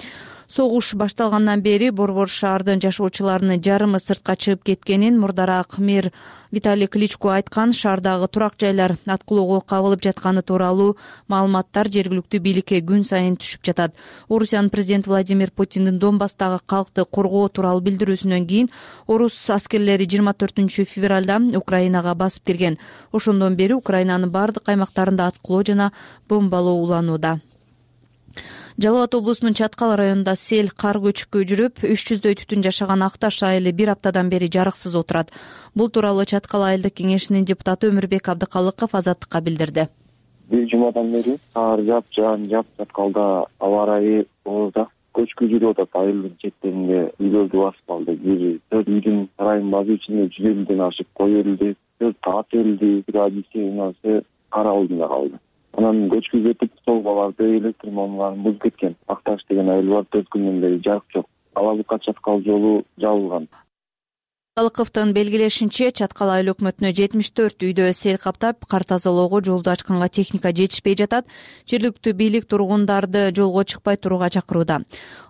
Согуш башталгандан бери борбор шаардын жашоочуларынын жарымы сыртка чыгып кеткенин мурдараак мэр Виталий Кличко айткан. Шаардагы турак жайлар аткылоого кабылып жатканы тууралуу маалыматтар жергиликтүү бийликке күн сайын түшүп жатат. Орусиянын президенти Владимир Путиндин Донбасстагы калкты коргоо тууралуу билдирүүсүнөн кийин орус аскерлери жыйырма төртүнчү февралда Украинага басып кирген. Ошондон бери Украинанын бардык аймактарында аткылоо жана бомбалоо уланууда. Жалал Абад облусунун Чаткал районунда сел кар көчкү жүрүп, үч жүздөй түтүн жашаган Акташ айылы бир аптадан бери жарыксыз отурат. Бул тууралуу Чаткал айылдык кеңешинин депутаты Өмүрбек Абдыкалыков Азаттыкка билдирди. Бир жумадан бери кар жаап жаан жаап Чаткалда аба ырайы оозда көчкү жүрүп атат. Айылдын четтеринде үйлөрдү басып калды. Бир төрт үйдүн сарайын базы ичинде жүз элүүдөн ашык кой өлдү, төрт ат өлдү, бир адисинасы кар алдында калды. Анан көчкү кетип, столбаларды, электр мамларын бузуп кеткен. Акташ деген айыл бар, төрт күндөн бери жарык жок. Алабыкка Чаткал жолу жабылган. Калыковдун белгилешинче, Чаткал айыл өкмөтүнө жетимиш төрт үйдө сел каптап, кар тазалоого жолду ачканга техника жетишпей жатат. Жергиликтүү бийлик тургундарды жолго чыкпай турууга чакырууда.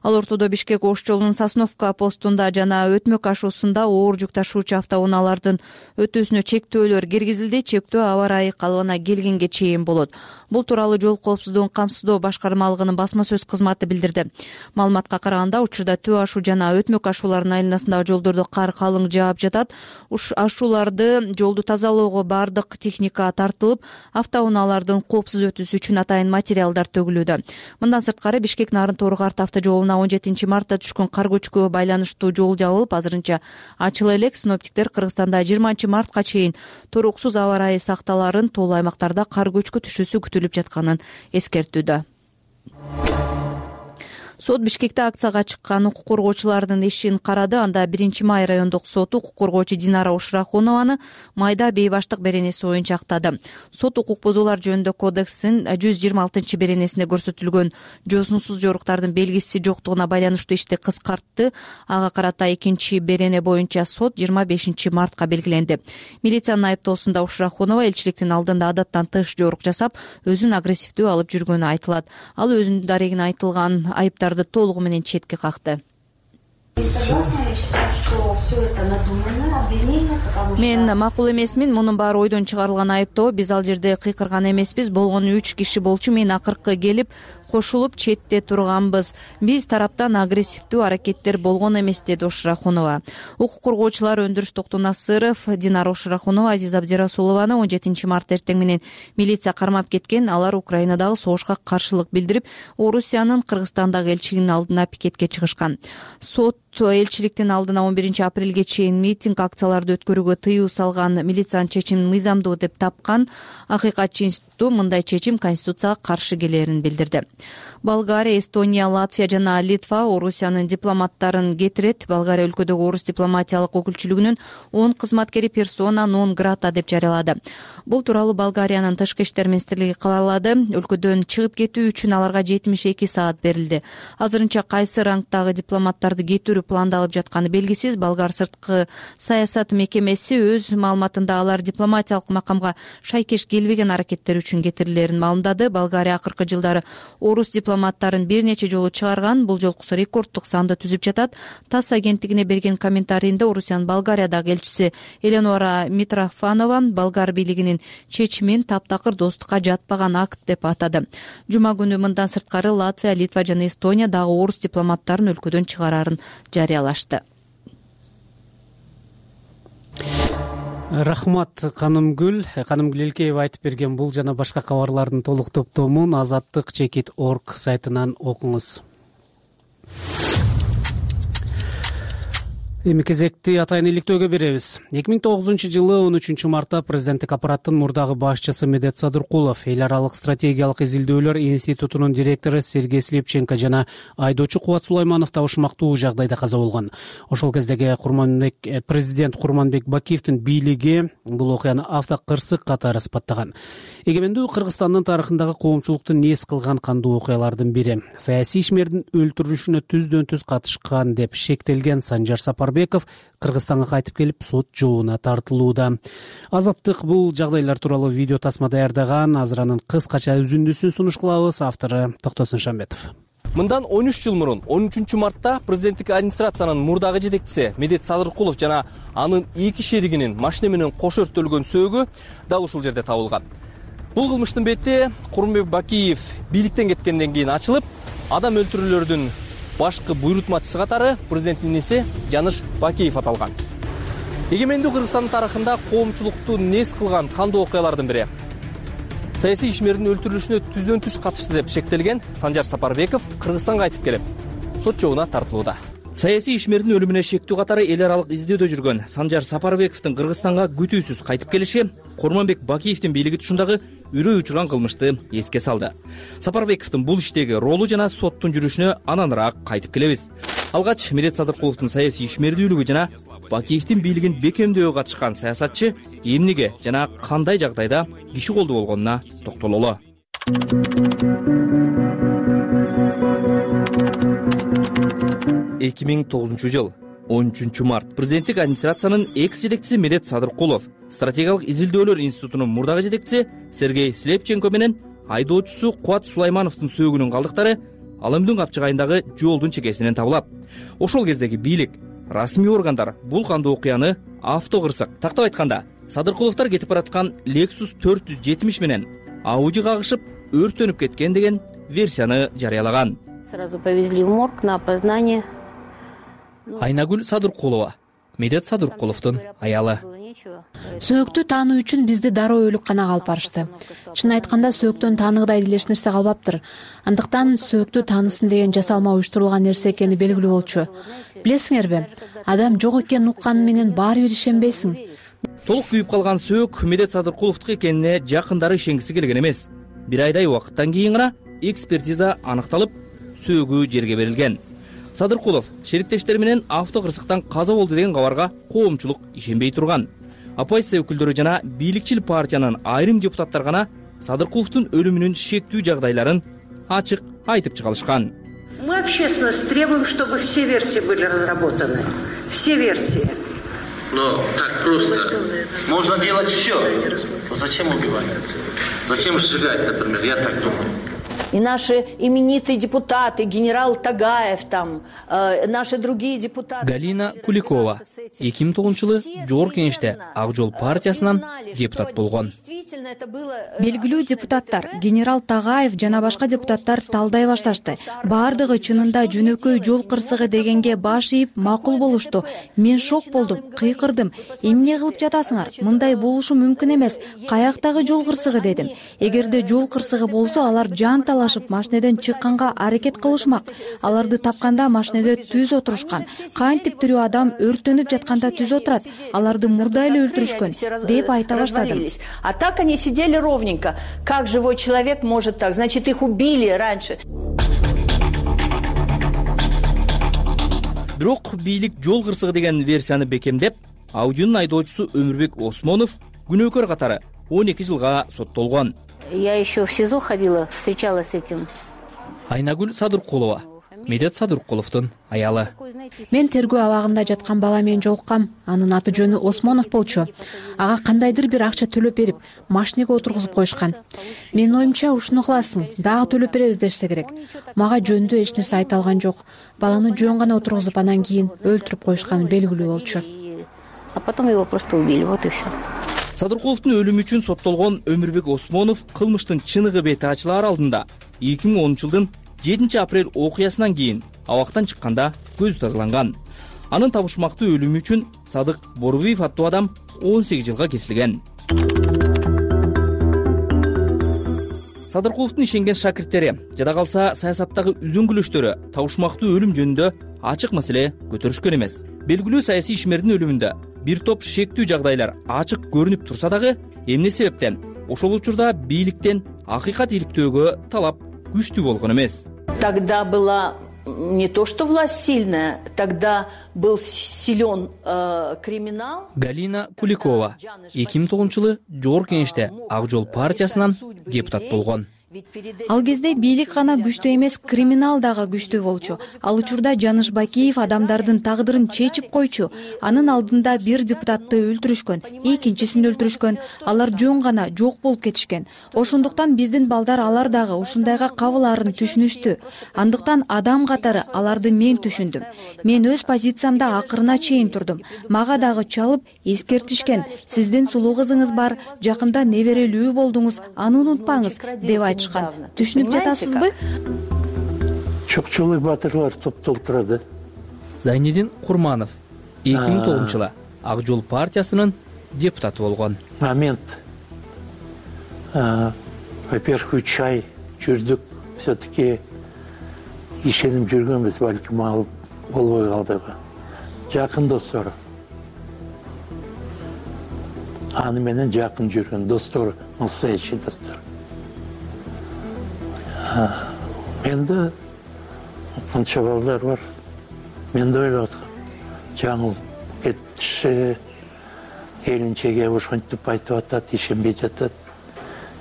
Ал ортодо Бишкек Ош жолунун Сосновка постунда жана Өтмөк ашуусунда оор жүк ташуучу автоунаалардын өтүүсүнө чектөөлөр киргизилди. Чектөө аба ырайы калыбына келгенге чейин болот. Бул тууралуу жол коопсуздугун камсыздоо башкармалыгынын басма сөз кызматы билдирди. Маалыматка караганда, учурда Төө ашуу жана Өтмөк ашууларынын айланасындагы жолдордо кар калың жаап жатат. Уш ашууларды жолду тазалоого бардык техника тартылып, автоунаалардын коопсуз өтүүсү үчүн атайын материалдар төгүлүүдө. Мындан сырткары Бишкек Нарын Тору-Карт автожолуна он жетинчи мартта түшкөн кар көчкүгө байланыштуу жол жабылып, азырынча ачыла элек. Синоптиктер Кыргызстанда жыйырманчы мартка чейин туруксуз аба ырайы сакталарын, тоолуу аймактарда кар көчкү түшүүсү күтүлүп жатканын эскертүүдө. Сот Бишкекте акцияга чыккан укук коргоочулардын ишин карады. Анда биринчи май райондук соту укук коргоочу Динара Ушрахунованы майда бейбаштык беренеси боюнча актады. Сот укук бузуулар жөнүндө кодекстин жүз жыйырма алтынчы беренесинде көрсөтүлгөн жоосунсуз жоруктардын белгиси жоктугуна байланыштуу ишти кыскартты. Ага карата экинчи берене боюнча сот жыйырма бешинчи мартка белгиленди. Милициянын айыптоосунда Ушрахунова элчиликтин алдында адаттан тыш жорук жасап, өзүн агрессивдүү алып жүргөнү айтылат. Ал өзүнүн дарегине айтылган айыптар толугу менен четке какты. Мен макул эмесмин, мунун баары ойдон чыгарылган айыптоо. Биз ал жерде кыйкырган эмеспиз. Болгону үч киши болчу. Мен акыркы келип кошулуп четте турганбыз. Биз тараптан агрессивдүү аракеттер болгон эмес, деди Ушрахунова. Укук коргоочулар Өндүрүш Токтонасыров, Динара Ушрахунова, Азиз Абдирасулованы он жетинчи март эртең менен милиция кармап кеткен. Алар Украинадагы согушка каршылык билдирип, Орусиянын Кыргызстандагы элчилигинин алдына пикетке чыгышкан. Сот элчиликтин алдына он биринчи апрелге чейин митинг, акцияларды өткөрүүгө тыюу салган. Милициянын чечимин мыйзамдуу деп тапкан. Акыйкатчы институту мындай чечим Конституцияга каршы келерин билдирди. Болгария, Эстония, Латвия жана Литва Орусиянын дипломаттарын кетирет. Болгария өлкөдөгү орус дипломатиялык өкүлчүлүгүнүн он кызматкери персона нон грата деп жарыялады. Бул тууралуу Болгариянын тышкы иштер министрлиги кабарлады. Өлкөдөн чыгып кетүү үчүн аларга жетимиш эки саат берилди. Азырынча кайсы рангдагы дипломаттарды кетирүү пландалып жатканы белгисиз. Болгар сырткы саясат мекемеси өз маалыматында алар дипломатиялык макамга шайкеш келбеген аракеттер үчүн кетирилерин маалымдады. Болгария акыркы жылдары орус дипломаттарын бир нече жолу чыгарган. Бул жолкусу рекордтук санды түзүп жатат. ТАСС агенттигине берген комментарийинде Орусиянын Болгариядагы элчиси Элеонора Митрофанова болгар бийлигинин чечимин таптакыр достукка жатпаган акт деп атады. Жума күнү мындан сырткары Латвия, Литва жана Эстония дагы орус дипломаттарын өлкөдөн чыгарарын жарыялашты. Рахмат Канымгүл. Канымгүл Элкеева айтып берген бул жана башка кабарлардын толук топтомун азаттык чекит точка орг сайтынан окуңуз. Эми кезекти атайын иликтөөгө беребиз. эки миң тогузунчу жылы он үчүнчү мартта президенттик аппараттын мурдагы башчысы Медет Садыркулов, эл аралык стратегиялык изилдөөлөр институтунун директору Сергей Слепченко жана айдоочу Кубат Сулайманов табышмактуу жагдайда каза болгон. Ошол кездеги Курманбек президент Курманбек Бакиевдин бийлиги бул окуяны автокырсык катары сыпаттаган. Эгемендүү Кыргызстандын тарыхындагы коомчулукту нес кылган кандуу окуялардын бири. Саясий ишмердин өлтүрүлүшүнө түздөн түз катышкан деп шектелген Санжар Сапарбеков Кыргызстанга кайтып келип сот жообуна тартылууда. Азаттык бул жагдайлар тууралуу видео тасма даярдаган. Азыр анын кыскача үзүндүсүн сунуш кылабыз. Автору Токтосун Шамбетов. Мындан он үч жыл мурун он үчүнчү мартта президенттик администрациянын мурдагы жетекчиси Медет Садыркулов жана анын эки шеригинин машина менен кош өрттөлгөн сөөгү дал ушул жерде табылган. Бул кылмыштын бети Курманбек Бакиев бийликтен кеткенден кийин ачылып, адам өлтүрүүлөрдүн башкы буйрутмачысы катары президенттин иниси Жаныш Бакиев аталган. Эгемендүү Кыргызстандын тарыхында коомчулукту нес кылган кандуу окуялардын бири. Саясий ишмердин өлтүрүлүшүнө түздөн түз катышты деп шектелген Санжар Сапарбеков Кыргызстанга кайтып келип сот жообуна тартылууда. Саясий ишмердин өлүмүнө шектүү катары эл аралык издөөдө жүргөн Санжар Сапарбековдун Кыргызстанга күтүүсүз кайтып келиши Курманбек Бакиевдин бийлиги тушундагы үрөй учурган кылмышты эске салды. Сапарбековдун бул иштеги ролу жана соттун жүрүшүнө ананыраак кайтып келебиз. Алгач Медет Садыркуловдун саясий ишмердүүлүгү жана Бакиевдин бийлигин бекемдөөгө катышкан саясатчы эмнеге жана кандай жагдайда киши колду болгонуна токтололу. эки миң тогузунчу жыл он үчүнчү март президенттик администрациянын экс жетекчиси Медет Садыркулов, стратегиялык изилдөөлөр институтунун мурдагы жетекчиси Сергей Слепченко менен айдоочусу Кубат Сулаймановдун сөөгүнүн калдыктары Алымдын капчыгайындагы жолдун чекесинен табылат. Ошол кездеги бийлик, расмий органдар бул кандуу окуяны автокырсык, тактап айтканда, Садыркуловдор кетип бараткан Lexus төрт жүз жетимиш менен Audi кагышып өрттөнүп кеткен деген версияны жарыялаган. Сразу повезли в морг на опознание. Айнагүл Садыркулова, Медет Садыркуловдун аялы. Сөөктү таануу үчүн бизди дароо өлүкканага алып барышты. Чын айтканда сөөктөн тааныгыдай элеш нерсе калбаптыр. Андыктан сөөктү таанысын деген жасалма уюштурулган нерсе экени белгилүү болчу. Билесиңерби, адам жок экенин укканы менен баары бир ишенбейсиң. Толук күйүп калган сөөк Медет Садыркуловдуку экенине жакындары ишенгиси келген эмес. Бир айдай убакыттан кийин гана экспертиза аныкталып, сөөгү жерге берилген. Садыркулов шериктештери менен автокырсыктан каза болду деген кабарга коомчулук ишенбей турган. Оппозиция өкүлдөрү жана бийликчил партиянын айрым депутаттар гана Садыркуловдун өлүмүнүн шектүү жагдайларын ачык айтып чыгалышкан. Мы общественность требуем, чтобы все версии были разработаны. Все версии. Но так просто. Можно делать все. Но зачем убивать? Зачем сжигать, например? Я так думаю. И наши именитые депутаты, генерал Тагаев, там, э, наши другие депутаты. Галина Куликова эки миң тогузунчу жылы Жогорку Кеңеште Ак Жол партиясынан депутат болгон. Белгилүү депутаттар, генерал Тагаев жана башка депутаттар талдай башташты. Баардыгы чынында жөнөкөй жол кырсыгы дегенге баш ийип макул болушту. Мен шок болдум, кыйкырдым. Эмне кылып жатасыңар? Мындай болушу мүмкүн эмес. Каяктагы жол кырсыгы дедим. Эгерде жол кырсыгы болсо, алар жан талашып машинеден чыкканга аракет кылышмак. Аларды тапканда машинеде түз отурушкан. Кантип тирүү адам өрттөнүп жатканда түз отурат? Аларды мурда эле өлтүрүшкөн деп айта баштадым. А так они сидели ровненько. Как живой человек может так? Значит, их убили раньше. Бирок бийлик жол кырсыгы деген версияны бекемдеп, Audio'нун айдоочусу Өмүрбек Осмонов күнөөкөр катары он эки жылга соттолгон. Я еще в СИЗО ходила, встречалась с этим. Айнагүл Садыркулова, Медет Садыркуловдун аялы. Мен тергөө абагында жаткан бала менен жолуккам. Анын аты жөнү Осмонов болчу. Ага кандайдыр бир акча төлөп берип, машинеге отургузуп коюшкан. Менин оюмча ушуну кыласың, дагы төлөп беребиз дешсе керек. Мага жөндүү эч нерсе айта алган жок. Баланы жөн гана отургузуп анан кийин өлтүрүп коюшканы белгилүү болчу. А потом его просто убили, вот и все. Садыркуловдун өлүмү үчүн соттолгон Өмүрбек Осмонов кылмыштын чыныгы бети ачылаар алдында эки миң онунчу жылдын жетинчи апрель окуясынан кийин абактан чыкканда көзү тазаланган. Анын табышмактуу өлүмү үчүн Садык Борбиев аттуу адам он сегиз жылга кесилген. Садыркуловдун ишенген шакирттери, жада калса саясаттагы үзүңгүлөштөрү табышмактуу өлүм жөнүндө ачык маселе көтөрүшкөн эмес. Белгилүү саясий ишмердин өлүмүндө бир топ шектүү жагдайлар ачык көрүнүп турса дагы, эмне себептен ошол учурда бийликтен акыйкат иликтөөгө талап күчтүү болгон эмес. Тогда была не то что власть сильная, тогда был силен э, криминал. Галина Куликова эки миң тогузунчу жылы Жогорку Кеңеште Ак жол партиясынан депутат болгон. Ал кезде бийлик гана күчтүү эмес, криминал дагы күчтүү болчу. Ал учурда Жаныш Бакиев адамдардын тагдырын чечип койчу. Анын алдында бир депутатты өлтүрүшкөн, экинчисин өлтүрүшкөн. Алар жөн гана жок болуп кетишкен. Ошондуктан биздин балдар алар дагы ушундайга кабылаарын түшүнүштү. Андыктан адам катары аларды мен түшүндүм. Мен өз позициямда акырына чейин турдум. Мага дагы чалып эскертишкен. Сиздин сулуу кызыңыз бар, жакында неберелүү болдуңуз, аны унутпаңыз деп айтышкан. Түшүнүп жатасызбы? Чокчулуу батырлар топтолуп турат. Зайнидин Курманов эки миң тогузунчу жылы Ак жол партиясынын депутаты болгон. Момент. Во-первых, үч ай жүрдүк, все-таки ишенип жүргөнбүз, балким ал болбой калдыбы. Жакын достор. Аны менен жакын жүргөн достор, настоящий достор. Менде канча балдар бар. Мен да ойлоп аткам. Жаңыл кетиши, келинчеге ошентип айтып атат, ишенбей жатат.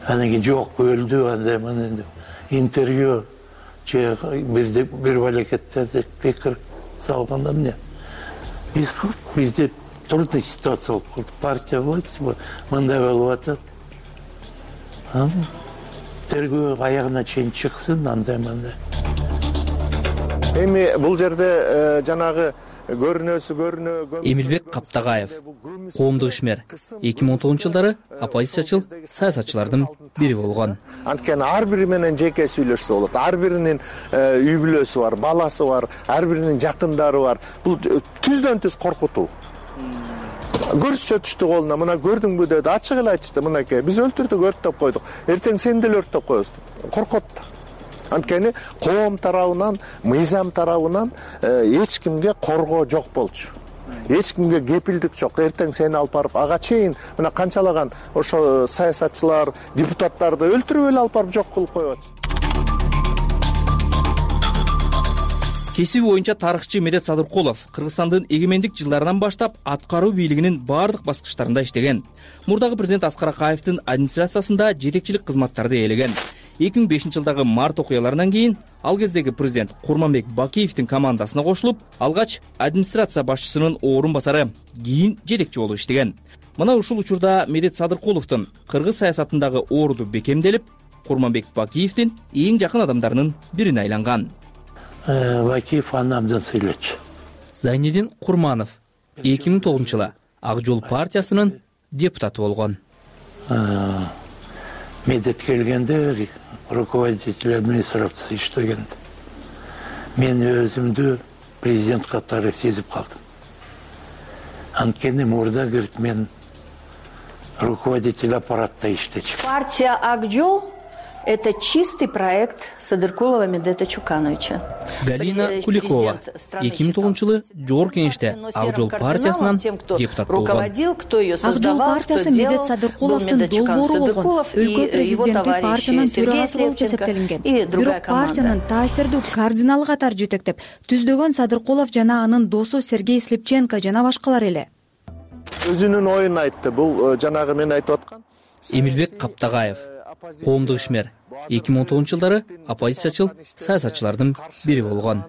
Анан кийин жок, өлдү, андай мына интервью же бир бир балекеттерди пикир салганда эмне? Биз бизде трудный ситуация болуп калды. Партия власть мындай болуп атат. Тергөө аягына чейин чыксын, андай мындай. Эми бул жерде жанагы көрүнөсү көрүнө. Эмилбек Каптагаев, коомдук ишмер, эки миң он тогузунчу жылдары оппозициячыл саясатчылардын бири болгон. Анткени ар бири менен жеке сүйлөшсө болот. Ар биринин үй бүлөсү бар, баласы бар, ар биринин жакындары бар. Бул түздөн түз коркутуу. Көрсөтүштү колуна, мына көрдүңбү деди, ачык эле айтышты, мынакей, биз өлтүрдүк, өрттөп койдук. Эртең сени деле өрттөп коебуз деп. Коркот. Анткени коом тарабынан, мыйзам тарабынан эч кимге коргоо жок болчу. Эч кимге кепилдик жок. Эртең сени алып барып, ага чейин мына канчалаган ошо саясатчылар, депутаттарды өлтүрүп эле алып барып жок кылып коюп атышты. Кесиби боюнча тарыхчы Медет Садыркулов Кыргызстандын эгемендик жылдарынан баштап аткаруу бийлигинин бардык баскычтарында иштеген. Мурдагы президент Аскар Акаевдин администрациясында жетекчилик кызматтарды ээлеген. эки миң бешинчи жылдагы март окуяларынан кийин ал кездеги президент Курманбек Бакиевдин командасына кошулуп, алгач администрация башчысынын орун басары, кийин жетекчи болуп иштеген. Мына ушул учурда Медет Садыркуловдун кыргыз саясатындагы орду бекемделип, Курманбек Бакиевдин эң жакын адамдарынын бирине айланган. Бакиев анамдан сүйлөчү. Зайнидин Курманов эки миң тогузунчу жылы Ак жол партиясынын депутаты болгон. Медет келгенде руководитель администрации иштегенде. Мен өзүмдү президент катары сезип калдым. Анткени мурда кирип мен руководитель аппаратта иштечү. Партия Ак жол Это чистый проект Садыркулова Медета Чукановича. Галина Куликова эки миң тогузунчу жылы жогорку кеңеште Ак жол партиясынан депутат болгон. Ак жол партиясы Медет Садыркуловдун долбоору болгон. Өлкө президенттик партиянын төрагасы болуп эсептелинген. Бирок партиянын таасирдүү кардиналы катары жетектеп түздөгөн Садыркулов жана анын досу Сергей Слепченко жана башкалар эле. Өзүнүн оюн айтты. Бул жанагы мен айтып аткан Эмилбек Каптагаев, коомдук ишмер, эки миң он тогузунчу жылдары оппозициячыл саясатчылардын бири болгон.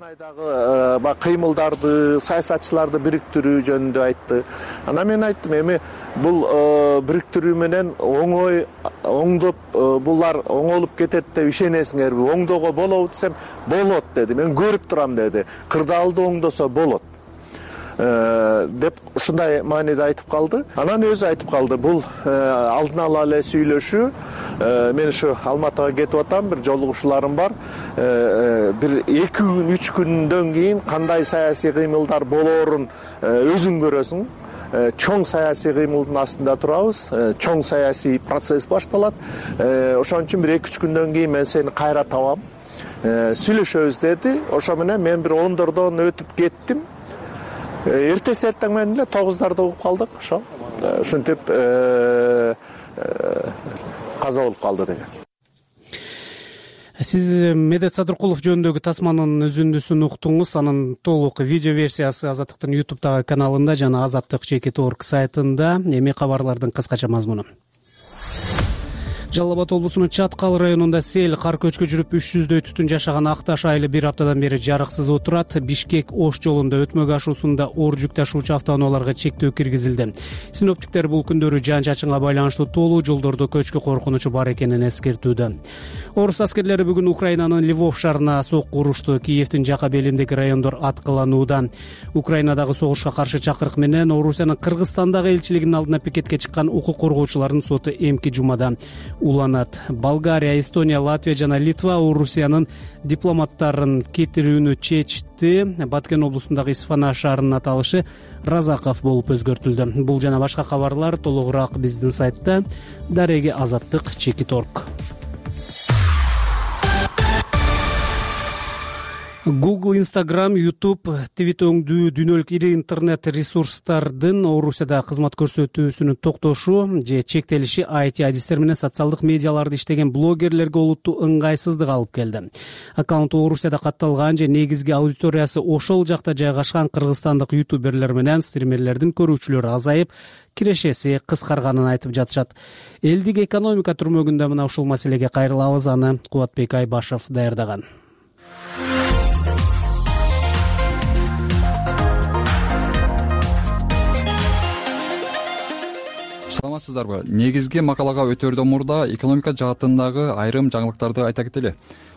Кыймылдарды, саясатчыларды бириктирүү жөнүндө айтты. Анан мен айттым, эми бул бириктирүү менен оңой оңдоп булар оңолуп кетет деп ишенесиңерби? Оңдоого болобу десем, болот деди. Мен көрүп турам деди. Кырдаалды оңдосо болот деп ушундай мааниде айтып калды. Анан өзү айтып калды, бул алдын ала эле сүйлөшүү. Мен ушу Алматыга кетип атам, бир жолугушууларым бар. Бир эки күн, үч күндөн кийин кандай саясий кыймылдар болоорун өзүң көрөсүң. Чоң саясий кыймылдын астында турабыз. Чоң саясий процесс башталат. Ошон үчүн бир эки үч күндөн кийин мен сени кайра табам. Сүйлөшөбүз деди. Ошо менен мен бир ондордон өтүп кеттим. Эртеси эртең менен эле тогуздарда угуп калдык. Ошо ушинтип каза болуп калды деген. Сиз Медет Садыркулов жөнүндөгү тасманын үзүндүсүн уктуңуз. Анын толук видео версиясы Азаттыктын ютубтагы каналында жана азаттык чекит точка орг сайтында. Эми кабарлардын кыскача мазмуну. Жалал Абад облусунун Чаткал районунда сел кар көчкү жүрүп үч жүздөй түтүн жашаган Акташ айылы бир аптадан бери жарыксыз отурат. Бишкек Ош жолунда өтмөгө ашуусунда оор жүк ташуучу автоунааларга чектөө киргизилди. Синоптиктер бул күндөрү жаан-чачынга байланыштуу тоолуу жолдордо көчкү коркунучу бар экенин эскертүүдө. Орус аскерлери бүгүн Украинанын Львов шаарына сокку урушту. Киевдин жака белиндеги райондор аткыланууда. Украинадагы согушка каршы чакырык менен Орусиянын Кыргызстандагы элчилигинин алдына пикетке чыккан укук коргоочулардын соту эмки жумада уланат. Болгария, Эстония, Латвия жана Литва Орусиянын дипломаттарын кетирүүнү чечти. Баткен облусундагы Исфана шаарынын аталышы Разаков болуп өзгөртүлдү. Бул жана башка кабарлар толугураак биздин сайтта дареги азаттык чекит точка орг. Google, Instagram, YouTube, Твит өңдүү дүйнөлүк ири интернет ресурстардын Орусияда кызмат көрсөтүүсүнүн токтошу же чектелиши ай ти адистер менен социалдык медиаларды иштеген блогерлерге олуттуу ыңгайсыздык алып келди. Аккаунту Орусияда катталган же негизги аудиториясы ошол жакта жайгашкан кыргызстандык ютуберлер менен стримерлердин көрүүчүлөрү азайып, кирешеси кыскарганын айтып жатышат. Элдик экономика түрмөгүндө мына ушул маселеге кайрылабыз, аны Кубатбек Айбашев даярдаган. Саламатсыздарбы? Негизги макалага өтөрдөн мурда экономика жаатындагы айрым жаңылыктарды айта кетели.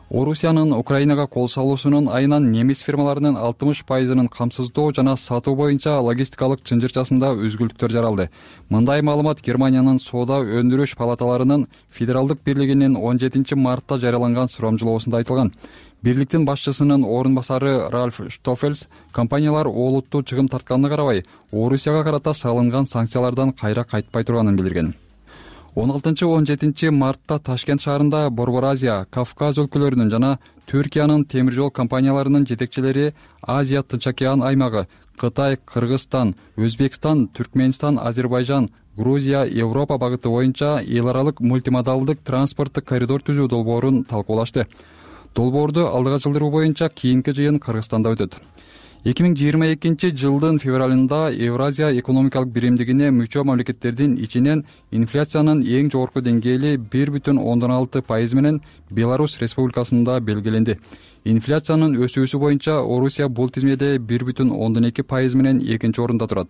Орусиянын Украинага кол салуусунун айынан немис фирмаларынын алтымыш пайызынын камсыздоо жана сатуу боюнча логистикалык чынжырчасында өзгөлүктөр жаралды. Мындай маалымат Германиянын соода өндүрүш палаталарынын федералдык бирлигинин он жетинчи мартта жарыяланган сурамжылоосунда айтылган. Бирликтин башчысынын орун басары Ральф Штофельс компаниялар олуттуу чыгым тартканына карабай, Орусияга карата салынган санкциялардан кайра кайтпай турганын билдирген. он алтынчы он жетинчи мартта Ташкент шаарында Борбор Азия, Кавказ өлкөлөрүнүн жана Түркиянын темир жол компанияларынын жетекчилери Азия Тынч океан аймагы, Кытай, Кыргызстан, Өзбекстан, Түркмөнстан, Азербайжан, Грузия, Европа багыты боюнча эл аралык мультимодалдык транспорттук коридор түзүү долбоорун талкуулашты. Долбоорду алдыга жылдыруу боюнча кийинки жыйын Кыргызстанда өтөт. эки миң жыйырма экинчи жылдын февралында Евразия экономикалык биримдигине мүчө мамлекеттердин ичинен инфляциянын эң жогорку деңгээли бир бүтүн ондон алты пайыз менен Беларусь Республикасында белгиленди. Инфляциянын өсүүсү боюнча Орусия бул тизмеде бир бүтүн ондон эки пайыз менен экинчи орунда турат.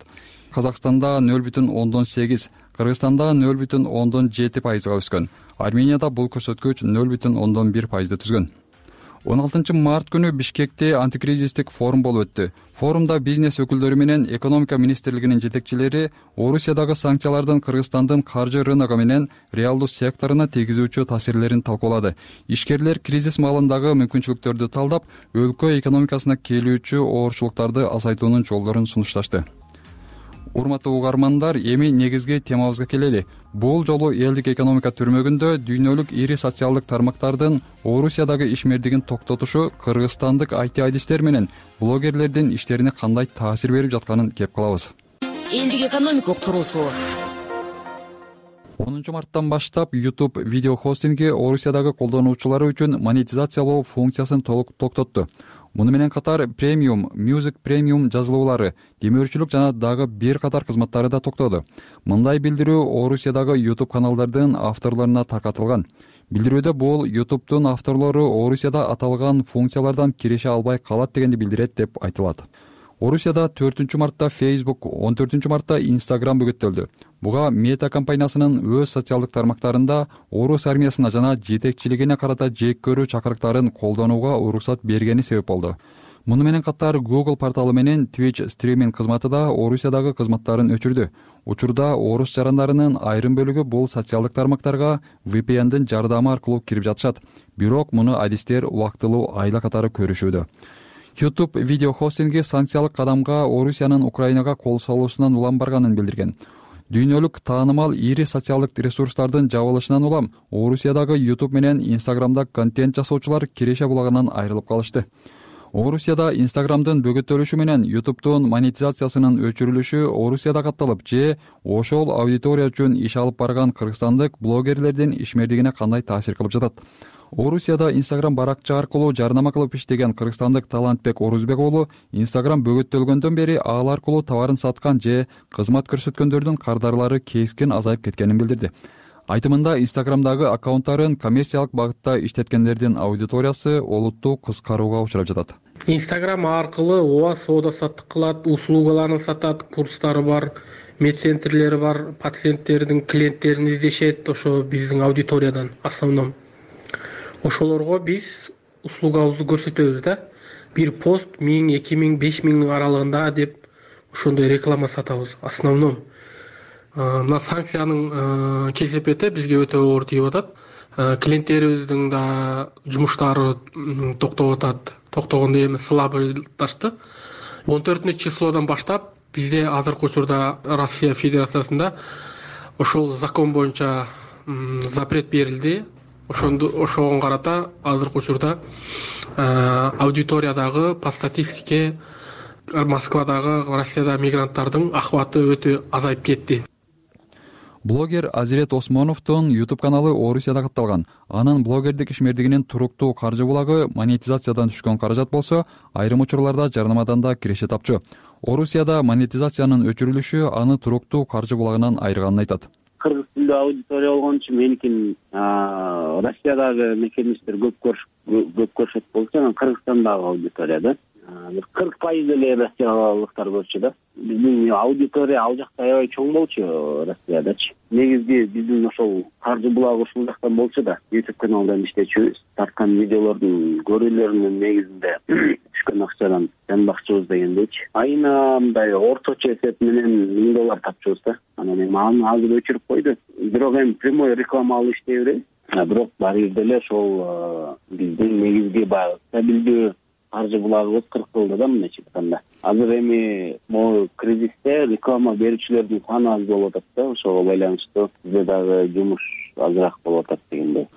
Казакстанда нөл бүтүн ондон сегиз, Кыргызстанда нөл бүтүн ондон жети пайызга өскөн. Арменияда бул көрсөткүч нөл бүтүн ондон бир пайызды түзгөн. он алтынчы март күнү Бишкекте антикризистик форум болуп өттү. Форумда бизнес өкүлдөрү менен экономика министрлигинин жетекчилери Орусиядагы санкциялардын Кыргызстандын каржы рыногу менен реалдуу секторуна тийгизүүчү таасирлерин талкуулады. Ишкерлер кризис маалындагы мүмкүнчүлүктөрдү талдап, өлкө экономикасына келүүчү оорчулуктарды азайтуунун жолдорун сунушташты. урматтуу угармандар, эми негизги темабызга келели. Бул жолу элдик экономика түрмөгүндө дүйнөлүк ири социалдык тармактардын Орусиядагы ишмердигин токтотушу кыргызстандык ай ти айдистер менен блогерлердин иштерине кандай таасир берип жатканын кеп кылабыз. Элдик экономика уктуруусу. онунчу марттан баштап YouTube видео хостинги Орусиядагы колдонуучулары үчүн монетизациялоо функциясын толук токтотту. Муну менен катар премиум, Music премиум жазылуулары, демөөрчүлүк жана дагы бир катар кызматтары да токтоду. Мындай билдирүү Орусиядагы YouTube каналдардын авторлоруна таркатылган. Билдирүүдө бул YouTube'дун авторлору Орусияда аталган функциялардан кирише албай калат дегенди билдирет деп айтылат. Орусияда төртүнчү мартта Facebook, он төртүнчү мартта Instagram бөгөттөлдү. Буга Meta компаниясынын өз социалдык тармактарында орус армиясына жана жетекчилигине карата жек көрүү чакырыктарын колдонууга уруксат бергени себеп болду. Муну менен катар Google порталы менен Twitch стриминг кызматы да Орусиядагы кызматтарын өчүрдү. Учурда орус жарандарынын айрым бөлүгү бул социалдык тармактарга ви пи эндин жардамы аркылуу кирип жатышат. Бирок муну адистер убактылуу айла катары көрүшүүдө. YouTube видео хостинги санкциялык кадамга Орусиянын Украинага кол салуусунан улам барганын билдирген. Дүйнөлүк таанымал ири социалдык ресурстардын жабылышынан улам Орусиядагы YouTube менен Instagram'да контент жасоочулар киреше булагынан айрылып калышты. Орусияда Instagram'дын бөгөттөлүшү менен YouTube'дун монетизациясынын өчүрүлүшү Орусияда катталып, же ошол аудитория үчүн иш алып барган кыргызстандык блогерлердин ишмердигине кандай таасир кылып жатат? Орусияда Instagram баракча аркылуу жарнама кылып иштеген кыргызстандык Талантбек Орузбек уулу Instagram бөгөттөлгөндөн бери ал аркылуу товарын саткан же кызмат көрсөткөндөрдүн кардарлары кескин азайып кеткенин билдирди. Айтымында Instagram'дагы аккаунттарын коммерциялык багытта иштеткендердин аудиториясы олуттуу кыскарууга учурап жатат. Instagram аркылуу ооба соода саттык кылат, услугаларын сатат, курстары бар, медцентрлери бар, пациенттердин клиенттерин издешет, ошо биздин аудиториядан основном. Ошолорго биз услугабызды көрсөтөбүз да. Бир пост миң, эки миң, беш миңдин аралыгында деп ошондой реклама сатабыз основном. Мына санкциянын кесепети бизге өтө оор тийип атат. Клиенттерибиздин да жумуштары токтоп атат. Токтогондо эми слабыйлашты. он төртүнчү числодан баштап бизде азыркы учурда Россия Федерациясында ошол закон боюнча запрет берилди. Ошондо ошого карата азыркы учурда аудиториядагы по статистике Москвадагы, Россияда мигранттардын ахваты өтө азайып кетти. Блогер Азирет Осмоновдун YouTube каналы Орусияда катталган. Анын блогердик ишмердигинин туруктуу каржы булагы монетизациядан түшкөн каражат болсо, айрым учурларда жарнамадан да киреше тапчу. Орусияда монетизациянын өчүрүлүшү аны туруктуу каржы булагынан айырганын айтат. Кыргыз тилдүү аудитория болгон үчүн меникин Россиядагы мекенништер көп көп көрсөт болчу, анан Кыргызстандагы аудитория да бир кырк пайыз эле россиялыктар көрчү да. Биздин аудитория ал жакта аябай чоң болчу Россиядачы. Негизги биздин ошол каржы булагы ушул жактан болчу да. YouTube каналдан иштечүбүз. Тарткан видеолордун көрүүлөрүнүн негизинде түшкөн акчадан жанбакчыбыз дегендейчи. Айына мындай орточо эсеп менен миң доллар тапчубуз да. Анан эми аны азыр өчүрүп койду. Бирок эми прямой реклама алып иштей беребиз. Бирок баары бир деле ошол биздин негизги баягы стабилдүү каржы булагыбыз кыркылды да мындайча айтканда. Азыр эми могу кризисте реклама берүүчүлөрдүн саны аз болуп атат да, ошого байланыштуу бизде дагы жумуш азыраак болуп атат дегендей.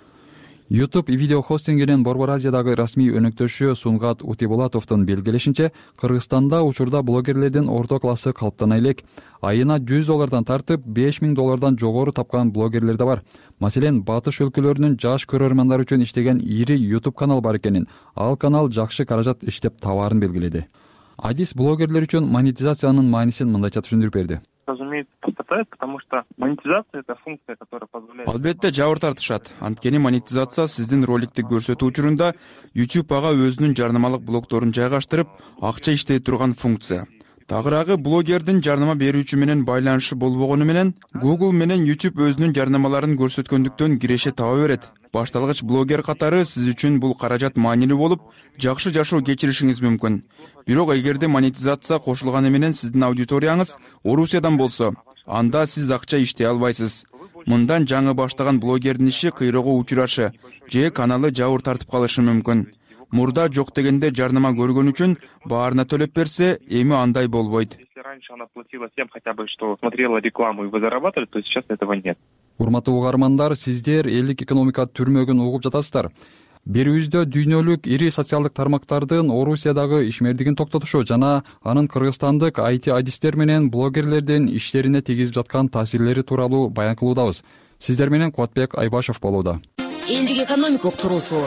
YouTube видео хостингинин Борбор Азиядагы расмий өнөктөшү Сунгат Утибулатовдун белгилешинче, Кыргызстанда учурда блогерлердин орто классы калыптана элек. Айына жүз доллардан тартып беш миң доллардан жогору тапкан блогерлер да бар. Маселен, батыш өлкөлөрүнүн жаш көрөрмандары үчүн иштеген ири YouTube канал бар экенин, ал канал жакшы каражат иштеп табаарын белгиледи. Адис блогерлер үчүн монетизациянын маанисин мындайча түшүндүрүп берди. Разумеется, хватает, потому что монетизация — это функция, которая позволяет... Албетте жабыр тартышат. Анткени монетизация сиздин роликти көрсөтүү учурунда YouTube ага өзүнүн жарнамалык блокторун жайгаштырып, акча иштей турган функция. Тагыраагы блогердин жарнама берүүчү менен байланышы болбогону менен Google менен YouTube өзүнүн жарнамаларын көрсөткөндүктөн киреше таба берет. Башталгыч блогер катары сиз үчүн бул каражат маанилүү болуп, жакшы жашоо кечиришиңиз мүмкүн. Бирок эгерде монетизация кошулганы менен сиздин аудиторияңыз Орусиядан болсо, анда сиз акча иштей албайсыз. Мындан жаңы баштаган блогердин иши кыйроого учурашы же каналы жабыр тартып калышы мүмкүн. Мурда жок дегенде жарнама көргөн үчүн баарына төлөп берсе, эми андай болбойт. раньше она платила всем хотя бы, что смотрела рекламу и вы зарабатывали, то сейчас этого нет. Урматтуу угармандар, сиздер элдик экономика түрмөгүн угуп жатасыздар. Берүүбүздө дүйнөлүк ири социалдык тармактардын Орусиядагы ишмердигин токтотушу жана анын кыргызстандык ай ти адистер менен блогерлердин иштерине тийгизип жаткан таасирлери тууралуу баян кылуудабыз. Сиздер менен Кубатбек Айбашев болууда. Элдик экономика уктуруусу.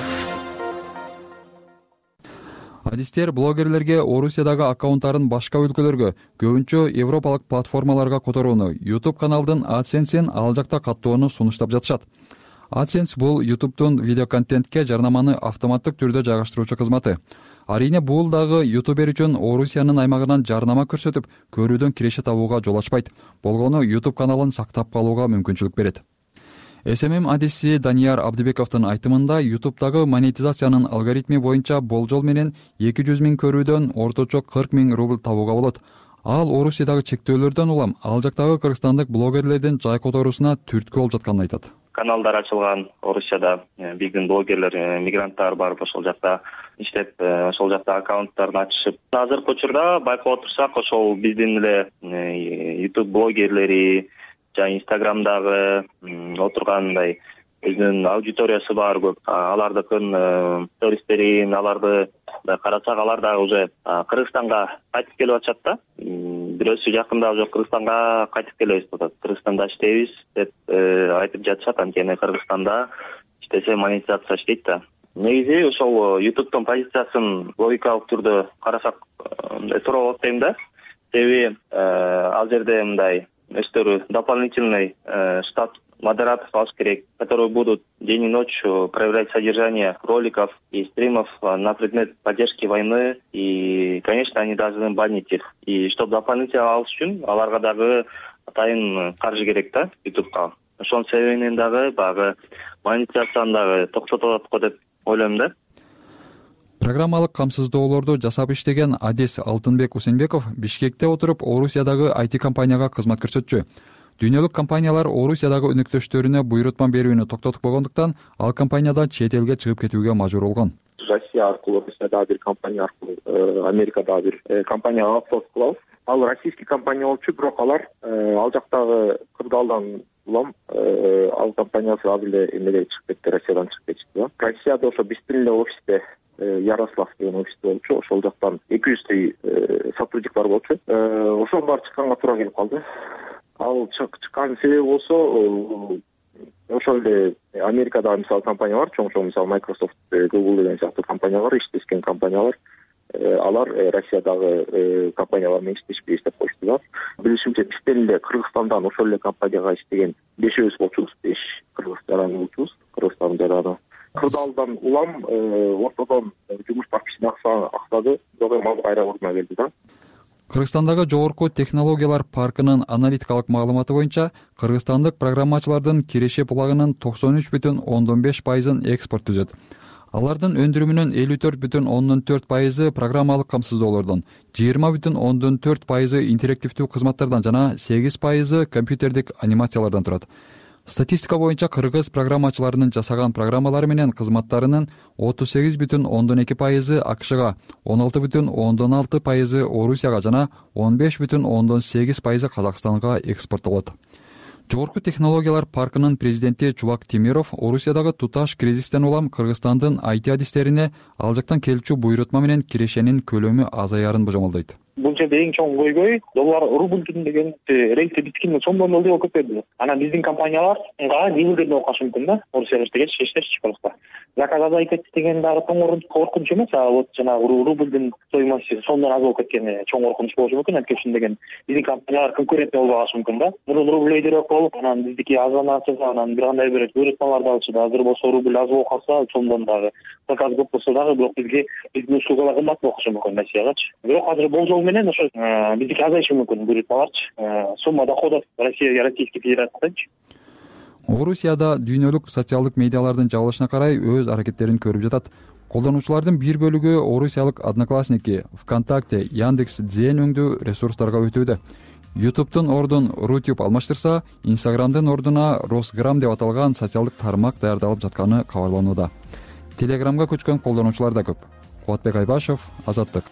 Адистер блогерлерге Орусиядагы аккаунттарын башка өлкөлөргө, көбүнчө европалык платформаларга которууну, YouTube каналдын AdSense'ин ал жакта каттоону сунуштап жатышат. AdSense бул YouTube'дун видеоконтентке жарнаманы автоматтык түрдө жайгаштыруучу кызматы. Арийне бул дагы ютубер үчүн Орусиянын аймагынан жарнама көрсөтүп, көрүүдөн киреше табууга жол ачпайт. Болгону YouTube каналын сактап калууга мүмкүнчүлүк берет. эс эм эм адиси Данияр Абдыбековдун айтымында YouTube'дагы монетизациянын алгоритми боюнча болжол менен эки жүз миң көрүүдөн орточо кырк миң рубль табууга болот. Ал Орусиядагы чектөөлөрдөн улам ал жактагы кыргызстандык блогерлердин жай которуусуна түрткү болуп жатканын айтат. Каналдар ачылган Орусияда, биздин блогерлер, мигранттар барып ошол жакта иштеп, ошол жакта аккаунттарын ачышып. Азыркы учурда байкап отурсак, ошол биздин эле YouTube блогерлери жана Инстаграмдагы отургандай өзүнүн аудиториясы бар көп. Алардыкын стористерин, аларды карасак, алар дагы уже Кыргызстанга кайтып келип атышат да. Бирөөсү жакында уже Кыргызстанга кайтып келебиз деп атат. Кыргызстанда иштейбиз деп айтып жатышат. Анткени Кыргызстанда иштесе монетизация иштейт да. Негизи ошол YouTube'дун позициясын логикалык түрдө карасак туура болот дейм да. Себеби ал жерде мындай өздөрү дополнительный штат модераторов алыш керек, которые будут день и ночь проверять содержание роликов и стримов на предмет поддержки войны. И, конечно, они должны банить их. И чтобы дополнительно алыш үчүн аларга дагы атайын каржы керек да YouTube'га. Ошонун себебинен дагы багы монетизацияны дагы токтотот го деп ойлойм да. Программалык камсыздоолорду жасап иштеген Адес Алтынбек Усенбеков Бишкекте отуруп Орусиядагы ай ти компанияга кызмат көрсөтчү. Дүйнөлүк компаниялар Орусиядагы өнөктөштөрүнө буйрутма берүүнү токтотуп койгондуктан ал компаниядан чет элге чыгып кетүүгө мажбур болгон. Россия аркылуу, Россиядагы бир компания аркылуу, Америкадагы бир компания аутсорс кылабыз. Ал российский компания болчу, бирок алар ал жактагы кырдаалдан улам ал компаниясы азыр эле эмеге чыгып кетти, Россиядан чыгып кетти. Россияда ошо биздин эле офисте Ярослав деген офисте болчу, ошол жактан эки жүздөй сотрудник бар болчу. Ошол баары чыкканга туура келип калды. Ал чыккан себеби болсо ошол эле Америкадагы мисалы компаниялар, чоң-чоң мисалы Microsoft, Google деген сыяктуу компаниялар, иштешкен компаниялар, алар Россиядагы компаниялар менен иштешпейбиз деп коюшту да. Билишимче бизден эле Кыргызстандан ошол эле компанияга иштеген бешөөбүз болчубуз, беш кыргыз жаран болчубуз, Кыргызстандын жараны. Кырдаалдан улам ортодон жумуш бар кишини аксады, бирок эми ал кайра ордуна келди да. Кыргызстандагы жогорку технологиялар паркынын аналитикалык маалыматы боюнча кыргызстандык программачылардын киреше булагынын токсон үч бүтүн ондон беш пайызын экспорт түзөт. Алардын өндүрүмүнүн элүү төрт бүтүн ондон төрт пайызы программалык камсыздоолордон, жыйырма бүтүн ондон төрт пайызы интерактивдүү кызматтардан жана сегиз пайызы компьютердик анимациялардан турат. Статистика боюнча кыргыз программачыларынын жасаган программалары менен кызматтарынын отуз сегиз бүтүн ондон эки пайызы АКШга, он алты бүтүн ондон алты пайызы Орусияга жана он беш бүтүн ондон сегиз пайызы Казакстанга экспорттолот. Жогорку технологиялар паркынын президенти Чубак Темиров Орусиядагы туташ кризистен улам Кыргызстандын ай ти адистерине ал жактан келчү буйрутма менен кирешенин көлөмү азаярын божомолдойт. Бул жерде эң чоң көйгөй доллар рубль деген рейтти биткенде сомдон ылдый болуп кетти. Анан биздин компанияларга небелерде окуш мүмкүн да, Орусияга иштеген иштер чыкпакта. Заказ азайып кетти деген дагы чоң коркунуч эмес, а вот жанагы рубльдин стоимости сомдон аз болуп кеткени чоң коркунуч болушу мүмкүн. Анткени ушун деген биздин компаниялар конкуренттүү болбой калышы мүмкүн да. Мурун рубль өйдөрөөк болуп, анан биздики азанатып, анан бир кандай бир буйрутмаларды алышты. Азыр болсо рубль аз болуп калса, сомдон дагы заказ көп болсо дагы, бирок бизге биздин услугалар кымбат болушу мүмкүн Россиягачы. Бирок азыр болжол менен ошо биздики азайышы мүмкүн буйрутмаларчы. Сумма доходов Россия, Российский Федерациячы. Орусияда дүйнөлүк социалдык медиалардын жабылышына карай өз аракеттерин көрүп жатат. Колдонуучулардын бир бөлүгү Орусиялык Одноклассники, ВКонтакте, Яндекс, Дзен өңдүү ресурстарга өтүүдө. YouTube'дун ордун Рутюб алмаштырса, Инстаграмдын ордуна Росграм деп аталган социалдык тармак даярдалып жатканы кабарланууда. Телеграмга көчкөн колдонуучулар да көп. Кубатбек Айбашев, Азаттык.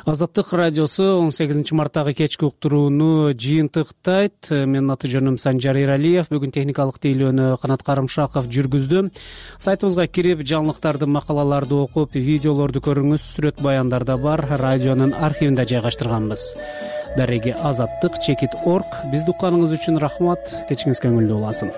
Азаттык радиосу он сегизинчи марттагы кечки уктурууну жыйынтыктайт. Менин аты жөнүм Санжар Эралиев. Бүгүн техникалык тейлөөнү Канат Карымшаков жүргүздү. Сайтыбызга кирип, жаңылыктарды, макалаларды окуп, видеолорду көрүңүз. Сүрөт баяндар да бар. Радионун архивинде жайгаштырганбыз. Дареги азаттык чекит точка орг. Бизди укканыңыз үчүн рахмат. Кечиңиз көңүлдүү уласын.